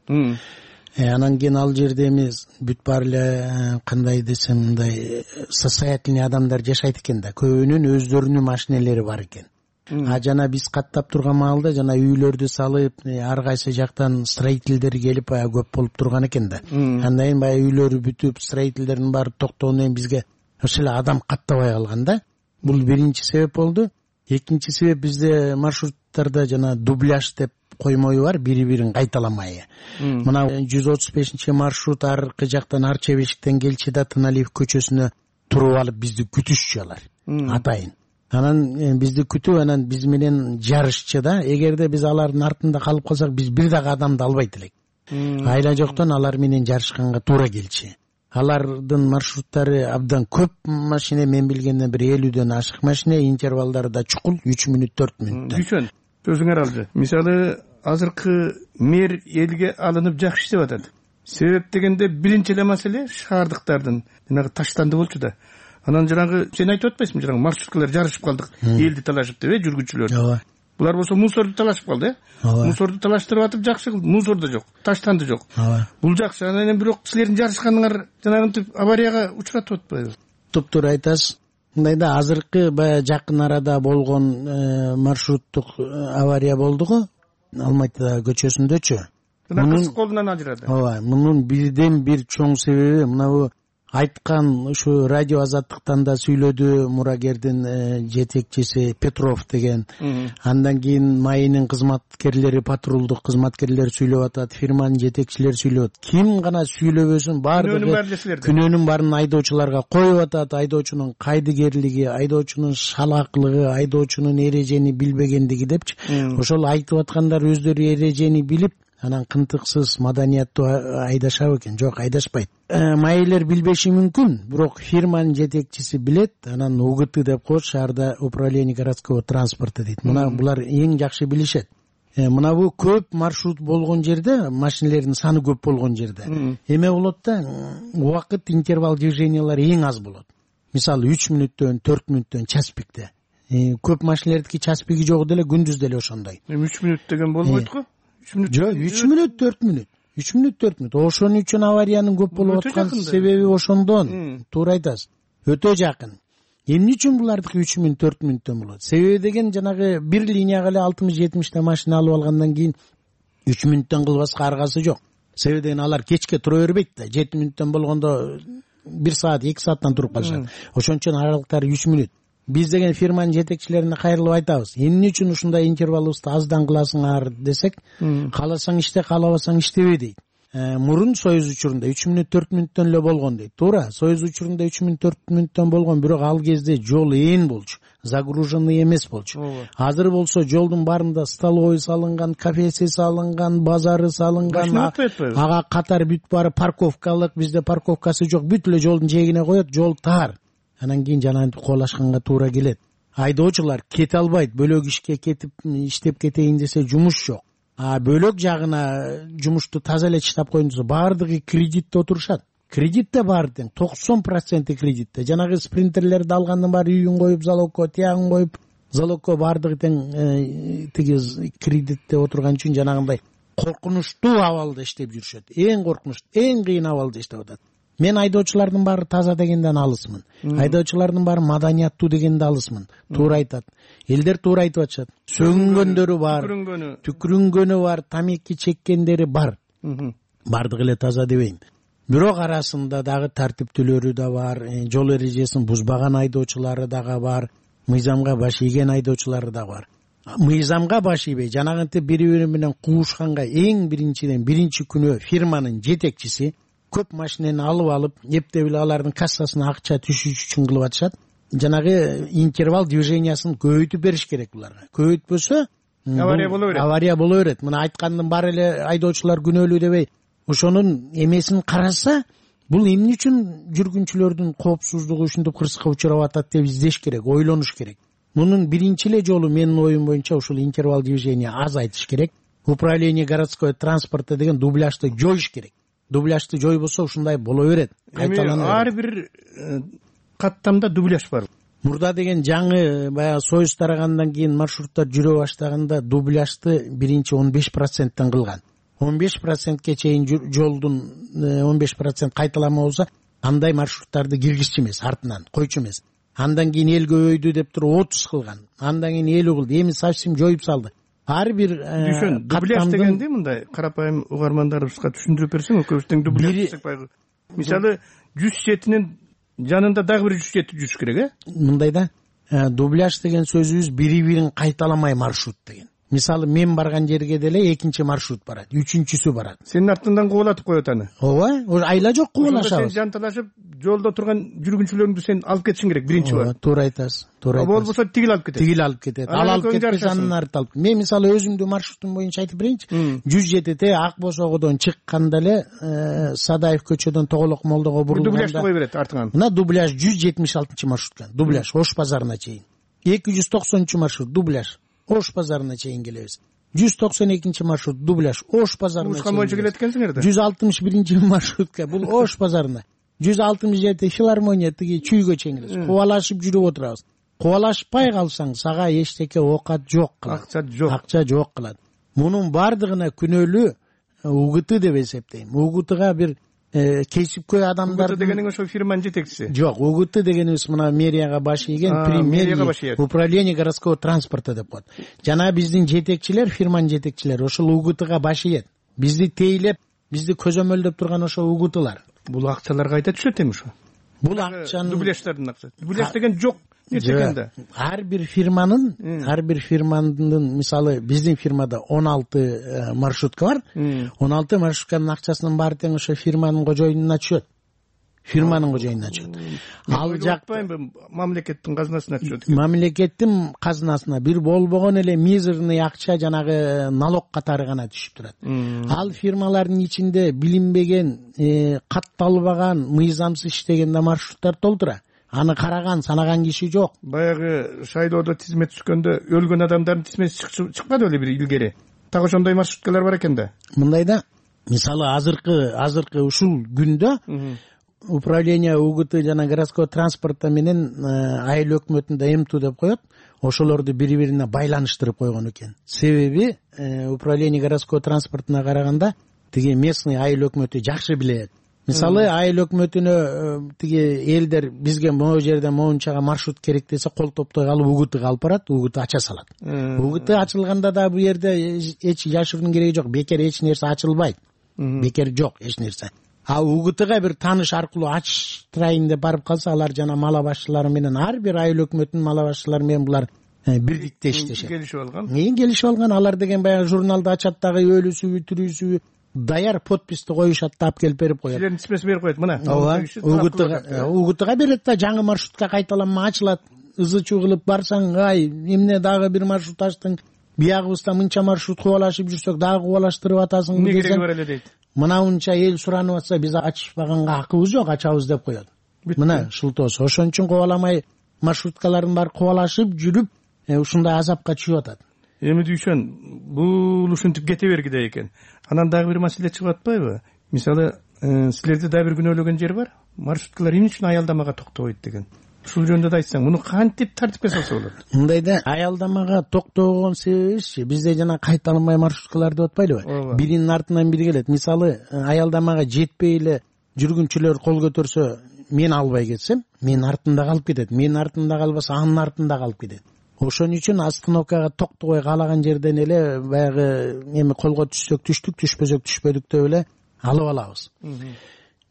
Анан кийин ал жерде эмес бүт баары эле кандай десем мындай состоятельный адамдар жашайт экен да. Көбүнүн өздөрүнүн машинелери бар экен. а жана биз каттап турган маалда жана үйлөрдү салып ар кайсы жактан строительдер келип баягы көп болуп турган экен да. Андан кийин баягы үйлөрү бүтүп строительдердин баары токтогондон кийин бизге ошол эле адам каттабай калган да. Бул биринчи себеп болду. Экинчи себеп бизде маршруттарда жана дубляж деп коймою бар, бири бирин кайталамай. Мына жүз отуз бешинчи маршрут аркы жактан Арча бешиктен келчи да Тыналиев көчөсүнө туруп алып бизди күтүшчү алар. Атайын. Анан бизди күтүп, анан биз менен жарышчы да. Эгерде биз алардын артында калып калсак, биз бир дагы адамды албайт элек. Айла жоктон алар менен жарышканга туура келчи. Алардын маршруттары абдан көп машина, мен билгенден бир элүүдөн ашык машина, интервалдары да чукул, үч мүнөт төрт мүнөттөн. Күчөн сөзүңөр алды. Мисалы азыркы мэр элге алынып жакшы иштеп атат. Себеп дегенде биринчи эле маселе шаардыктардын жанагы таштанды болчу да. Анан жанагы сен айтып атпайсыңбы, жанагы маршруткалар жарышып калдык, элди талашып деп, жүргүнчүлөр. Ооба. Булар болсо мусорду талашып калды, э? Мусорду талаштырып атып жакшы кылды. Мусор да жок, таштанды жок. Бул жакшы. Анан бирок силердин жарышканыңар жанагынтип аварияга учуратып атпайбы? Туптуура айтасыз. Мындай да азыркы баягы жакын арада болгон маршруттук авария болду го, Алматы көчөсүндөчү. Мунун колунан ажырады. Ооба, мунун бирден бир чоң себеби мына бу айткан ушу радио Азаттыктан да сүйлөдү мурагердин жетекчиси Петров деген. Андан кийин майынын кызматкерлери, патрулдук кызматкерлери сүйлөп атат, фирманын жетекчилери сүйлөп атат. Ким гана сүйлөбөсүн баардыгы күнөөнүн баарын айдоочуларга коюп атат. Айдоочунун кайдыгерлиги, айдоочунун шалаклыгы, айдоочунун эрежени билбегендиги депчи. Ошол айтып аткандар өздөрү эрежени билип, анан кынтыксыз маданияттуу айдашабы экен? Жок, айдашпайт. Майылер билбеши мүмкүн, бирок фирманын жетекчиси билет. Анан УГТ деп коет, шаарда управление городского транспорта дейт. Мына булар эң жакшы билишет. Мына бу көп маршрут болгон жерде, машиналердин саны көп болгон жерде эме болот да, убакыт интервал движениялар эң аз болот. Мисалы үч мүнөттөн, төрт мүнөттөн час пикте. Көп машиналердики час пиги жок деле, күндүз деле ошондой. үч мүнөт деген болбойт го? Жок, үч мүнөт, төрт мүнөт. үч мүнөт, төрт мүнөт. Ошон үчүн авариянын көп болуп аткан себеби ошондон. Туура айтасыз. Өтө жакын. Эмне үчүн булардыкы үч мүнөт, төрт мүнөттөн болот? Себеби деген жанагы бир линияга эле алтымыш жетимиште машина алып алгандан кийин үч мүнөттөн кылбаска аргасы жок. Себеби деген алар кечке тура бербейт да. жети мүнөттөн болгондо бир саат, эки сааттан туруп калышат. Ошон үчүн аралыктары үч мүнөт. Биз деген фирманын жетекчилерине кайрылып айтабыз. Эмне үчүн ушундай интервалыбызды аздан кыласыңар десек, кааласаң иште, каалабасаң иштебе дейт. Мурун Союз учурунда үч мүнөт, төрт мүнөттөн эле болгон дейт. Туура, Союз учурунда үч мүнөт, төрт мүнөттөн болгон, бирок ал кезде жол ээн болчу, загруженный эмес болчу. Азыр болсо жолдун баарында столовой салынган, кафеси салынган, базары салынган, ага катар бүт баары парковкалык, бизде парковкасы жок, бүт эле жолдун жээгине коет, жол тар. Анан кийин жанагынтип колашканга туура келет. Айдоочулар кете албайт, бөлөк ишке кетип иштеп кетейин десе жумуш жок. А бөлөк жагына жумушту таза эле чыштап коюн десе баардыгы кредитте отурушат. Кредитте баары тең, токсон проценти кредитте. Жанагы спринтерлерди алгандын баары үйүн коюп, залогко, тиягын коюп, залогко баардыгы тең тиги кредитте отурган үчүн жанагындай коркунучтуу абалда иштеп жүрүшөт. Эң коркунучтуу, эң кыйын абалда иштеп атат. Мен айдоочулардын баары таза дегенден алысмын. Айдоочулардын баары маданияттуу дегенде алысмын. Туура айтат. Элдер туура айтып атышат. Сөгүнгөндөрү бар, түкүрүнгөнү бар, тамеки чеккендери бар. Бардыгы эле таза дебейм. Бирок арасында дагы тартиптүүлөрү да бар, жол эрежесин бузбаган айдоочулары дагы бар, мыйзамга баш ийген айдоочулары да бар. Мыйзамга баш ийбей, жанагынтип бири-бири менен куушканга эң биринчиден биринчи күнү фирманын жетекчиси көп машинени алып алып, эптеп эле алардын кассасына акча түшүш үчүн кылып атышат. Жанагы интервал движениясын көбөйтүп бериш керек буларга. Көбөйтпөсө авария боло берет. Авария боло берет. Мына айткандын баары эле айдоочулар күнөөлүү дебей, ошонун эмесин караса, бул эмне үчүн жүргүнчүлөрдүн коопсуздугу ушинтип кырсыкка учурап атат деп издеш керек, ойлонуш керек. Мунун биринчи эле жолу менин оюм боюнча ушул интервал движения азайтыш керек. Управление городского транспорта деген дубляжды жоюш керек. Дубляжды жойбосо ушундай боло берет. Кайталана. Ар бир каттамда дубляж бар. Мурда деген жаңы баягы Союз тарагандан кийин маршруттар жүрө баштаганда дубляжды биринчи он беш проценттен кылган. он беш процентке чейин жолдун он беш процент кайталама болсо, андай маршруттарды киргизчү эмес, артынан койчу эмес. андан кийин эл көбөйдү деп туруп отуз кылган, андан кийин элүү кылды, эми совсем жоюп салды. Ар бир Düşün, дубляж дегенди мындай карапайым угармандарыбызга түшүндүрүп берсең, экөөбүз тең дубляж десек байгы. Мисалы жүз жетинин жанында дагы бир жүз жети жүрүш керек, э? Мындай да, дубляж деген сөзүбүз бири-бирин кайталамай маршрут деген. Мисалы мен барган жерге деле экинчи маршрут барат, үчүнчүсү барат. Сенин артыңдан кубалатып коет аны. Ооба, айла жок кубалашабыз. Сен жанталашып, жолдо турган жүргүнчүлөрүңдү сен алып кетишиң керек биринчи бар. Туура айтасыз. Туура айтасыз. Болбосо тигил алып кетет. Тигил алып кетет. Ал алып кетпесе анын арты алып. Мен мисалы өзүмдүн маршрутум боюнча айтып берейинчи. жүз жетите Ак Босогодон чыкканда эле Садаев көчөдөн Тоголок Молдого бурулганда дубляж кой берет артыңан. Мына дубляж жүз жетимиш алтынчы маршрутка. Дубляж Ош базарына чейин. эки жүз токсонунчу маршрут дубляж Ош базарына чейин келебиз. жүз токсон экинчи маршрут дубляж Ош базарына чейин. Ушкан боюнча келет экенсиңер да. жүз алтымыш биринчи маршрутка бул Ош базарына. жүз алтымыш жети филармония тиги чүйгө чейин келебиз. Кубалашып жүрүп отурабыз. Кубалашпай калсаң сага эчтеке оокат жок кылат. Акча жок. Акча жок кылат. Мунун бардыгына күнөөлүү УГТ деп эсептейм. УГТга бир кесипкөй адамдар. УГТ дегениң ошо фирманын жетекчиси. Жок, УГТ дегенибиз мына мэрияга баш ийген премьер управление городского транспорта деп коет. Жана биздин жетекчилер, фирманын жетекчилери ошол УГТга баш ийет. Бизди тейлеп, бизди көзөмөлдөп турган ошо УГТлар. Бул акчалар кайда түшөт эми ошо? Бул акчаны дубляждардын акчасы. Дубляж деген жок. Нечегенде? Ар бир фирманын, ар бир фирманын, мисалы биздин фирмада он алты маршрутка бар. он алты маршрутканын акчасынын баары тең ошо фирманын кожоюнуна түшөт. Фирманын кожоюнуна түшөт. Ал жакта мамлекеттин казынасына түшөт. Мамлекеттин казынасына бир болбогон эле мизерный акча жанагы налог катары гана түшүп турат. Ал фирмалардын ичинде билинбеген, катталбаган, мыйзамсыз иштеген да маршруттар толтура. Аны караган, санаган киши жок. Баягы шайлоодо тизмет түшкөндө өлгөн адамдардын тизмети чыкпады беле бир илгери. Так ошондой маршруткалар бар экен да. Мындай да, мисалы азыркы азыркы ушул күндө управление УГТ жана городской транспорта менен айыл өкмөтүндө МТУ деп коет. Ошолорду бири-бирине байланыштырып койгон экен. Себеби управление городской транспортуна караганда тиги местный айыл өкмөтү жакшы билет. Мисалы айыл өкмөтүнө тиги элдер бизге могу жерден моунчага маршрут керек десе кол топтой калып УГТга алып барат, УГТ ача салат. УГТ ачылганда да бу жерде эч жашыруунун кереги жок, бекер эч нерсе ачылбайт. Бекер жок эч нерсе. А УГТга бир тааныш аркылуу ачтырайын деп барып калса, алар жана мала башчылары менен ар бир айыл өкмөтүнүн мала башчылары менен булар бирдикте иштешет. Келишип алган. Мен келишип алган, алар деген баягы журналда ачат дагы өлүсүбү, тирүүсүбү даяр подписти коюшат да алып келип берип коет. Силердин тизмесин берип коет мына. Ооба. УГТга УГТга берет да, жаңы маршрутка кайталанма ачылат. Ызы-чуу кылып барсаң, ай, эмне дагы бир маршрут ачтың, биягыбызда мынча маршрут кубалашып жүрсөк дагы кубалаштырып атасың десең. Эмне кереги бар эле дейт. Мына унча эл суранып атса, биз ачышпаганга акыбыз жок, ачабыз деп коет. Мына шылтоосу. Ошон үчүн кубаламай маршруткалардын баары кубалашып жүрүп, ушундай азапка түшүп атат. Эми дүйшөн, бул ушинтип кете бергидей экен. Анан дагы бир маселе чыгып атпайбы? Мисалы, силерде дагы бир күнөөлөгөн жер бар. Маршруткалар эмне үчүн аялдамага токтобойт деген. Ушул жөнүндө да айтсаң, муну кантип тартипке салса болот? Мындай да, аялдамага токтобогон себебибизчи, бизде жана кайталанбай маршруткалар деп атпайлыбы? Биринин артынан бири келет. Мисалы, аялдамага жетпей эле жүргүнчүлөр кол көтөрсө, мен албай кетсем, менин артымда калып кетет. Менин артымда калбаса, анын артында калып кетет. Ошон үчүн остановкага токтобой каалаган жерден эле баягы эми колго түшсөк түштүк, түшпөсөк түшпөдүк деп эле алып алабыз.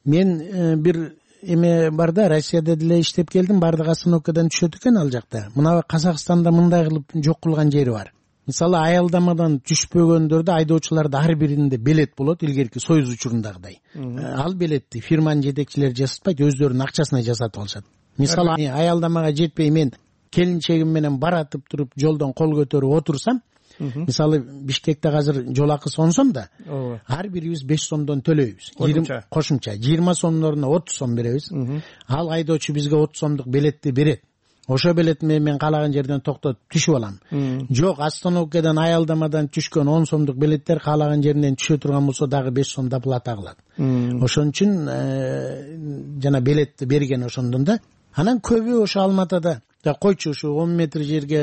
Мен бир эме бар да, Россияда деле иштеп келдим, бардык остановкадан түшөт экен ал жакта. Мына Казакстанда мындай кылып жок кылган жери бар. Мисалы, аялдамадан түшпөгөндөрдө айдоочуларда ар биринде билет болот, илгерки Союз учурундагыдай. Ал билетти фирманын жетекчилери жасатпайт, өздөрүнүн акчасына жасатып алышат. Мисалы, аялдамага жетпей мен келинчегим менен баратып туруп жолдон кол көтөрүп отурсам, мисалы Бишкекте азыр жол акысы он сом да, ар бирибиз беш сомдон төлөйбүз. Кошумча жыйырма сомдун ордуна отуз сом беребиз. Ал айдоочу бизге отуз сомдук билетти берет. Ошо билет менен мен каалаган жерден токтотуп түшүп алам. Жок, остановкадан аялдамадан түшкөн он сомдук билеттер каалаган жеринен түшө турган болсо дагы беш сом плата кылат. Ошон үчүн жана билетти берген ошондон да. Анан көбү ошо Алматада койчу ушу он метр жерге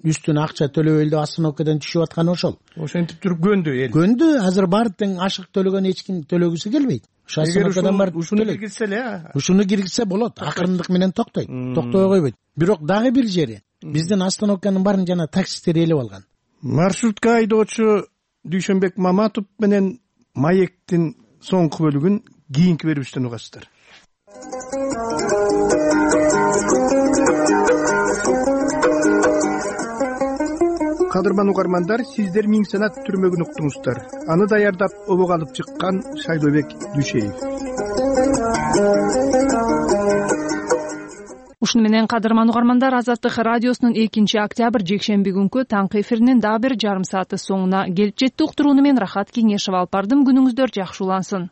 үстүнө акча төлөбөйлү деп остановкадан түшүп атканы ошол. Ошентип туруп көнду эл. Көнду. Азыр баары тең ашык төлөгөн эч ким төлөгүсү келбейт. Ушу остановкадан барып ушуну киргизсе эле, ушуну киргизсе болот. Акырындык менен токтойт. Токтобой койбойт. Бирок дагы бир жери биздин остановканын баарын жана таксисттер ээлеп алган. Маршрутка айдоочу Дүйшөнбек Маматов менен Маектин соңку бөлүгүн кийинки берүүбүздөн угасыздар. Кадырман угармандар, сиздер Миң Санат түрмөгүн уктуңуздар. Аны даярдап обого алып чыккан Шайлообек Дүйшеев. Ушуну менен кадырман угармандар, Азаттык радиосунун экинчи октябрь жекшемби күнкү таңкы эфиринин дагы бир жарым сааты соңуна келип жетти. Уктурууну мен Рахат Кеңешева алып бардым. Күнүңүздөр жакшы улансын.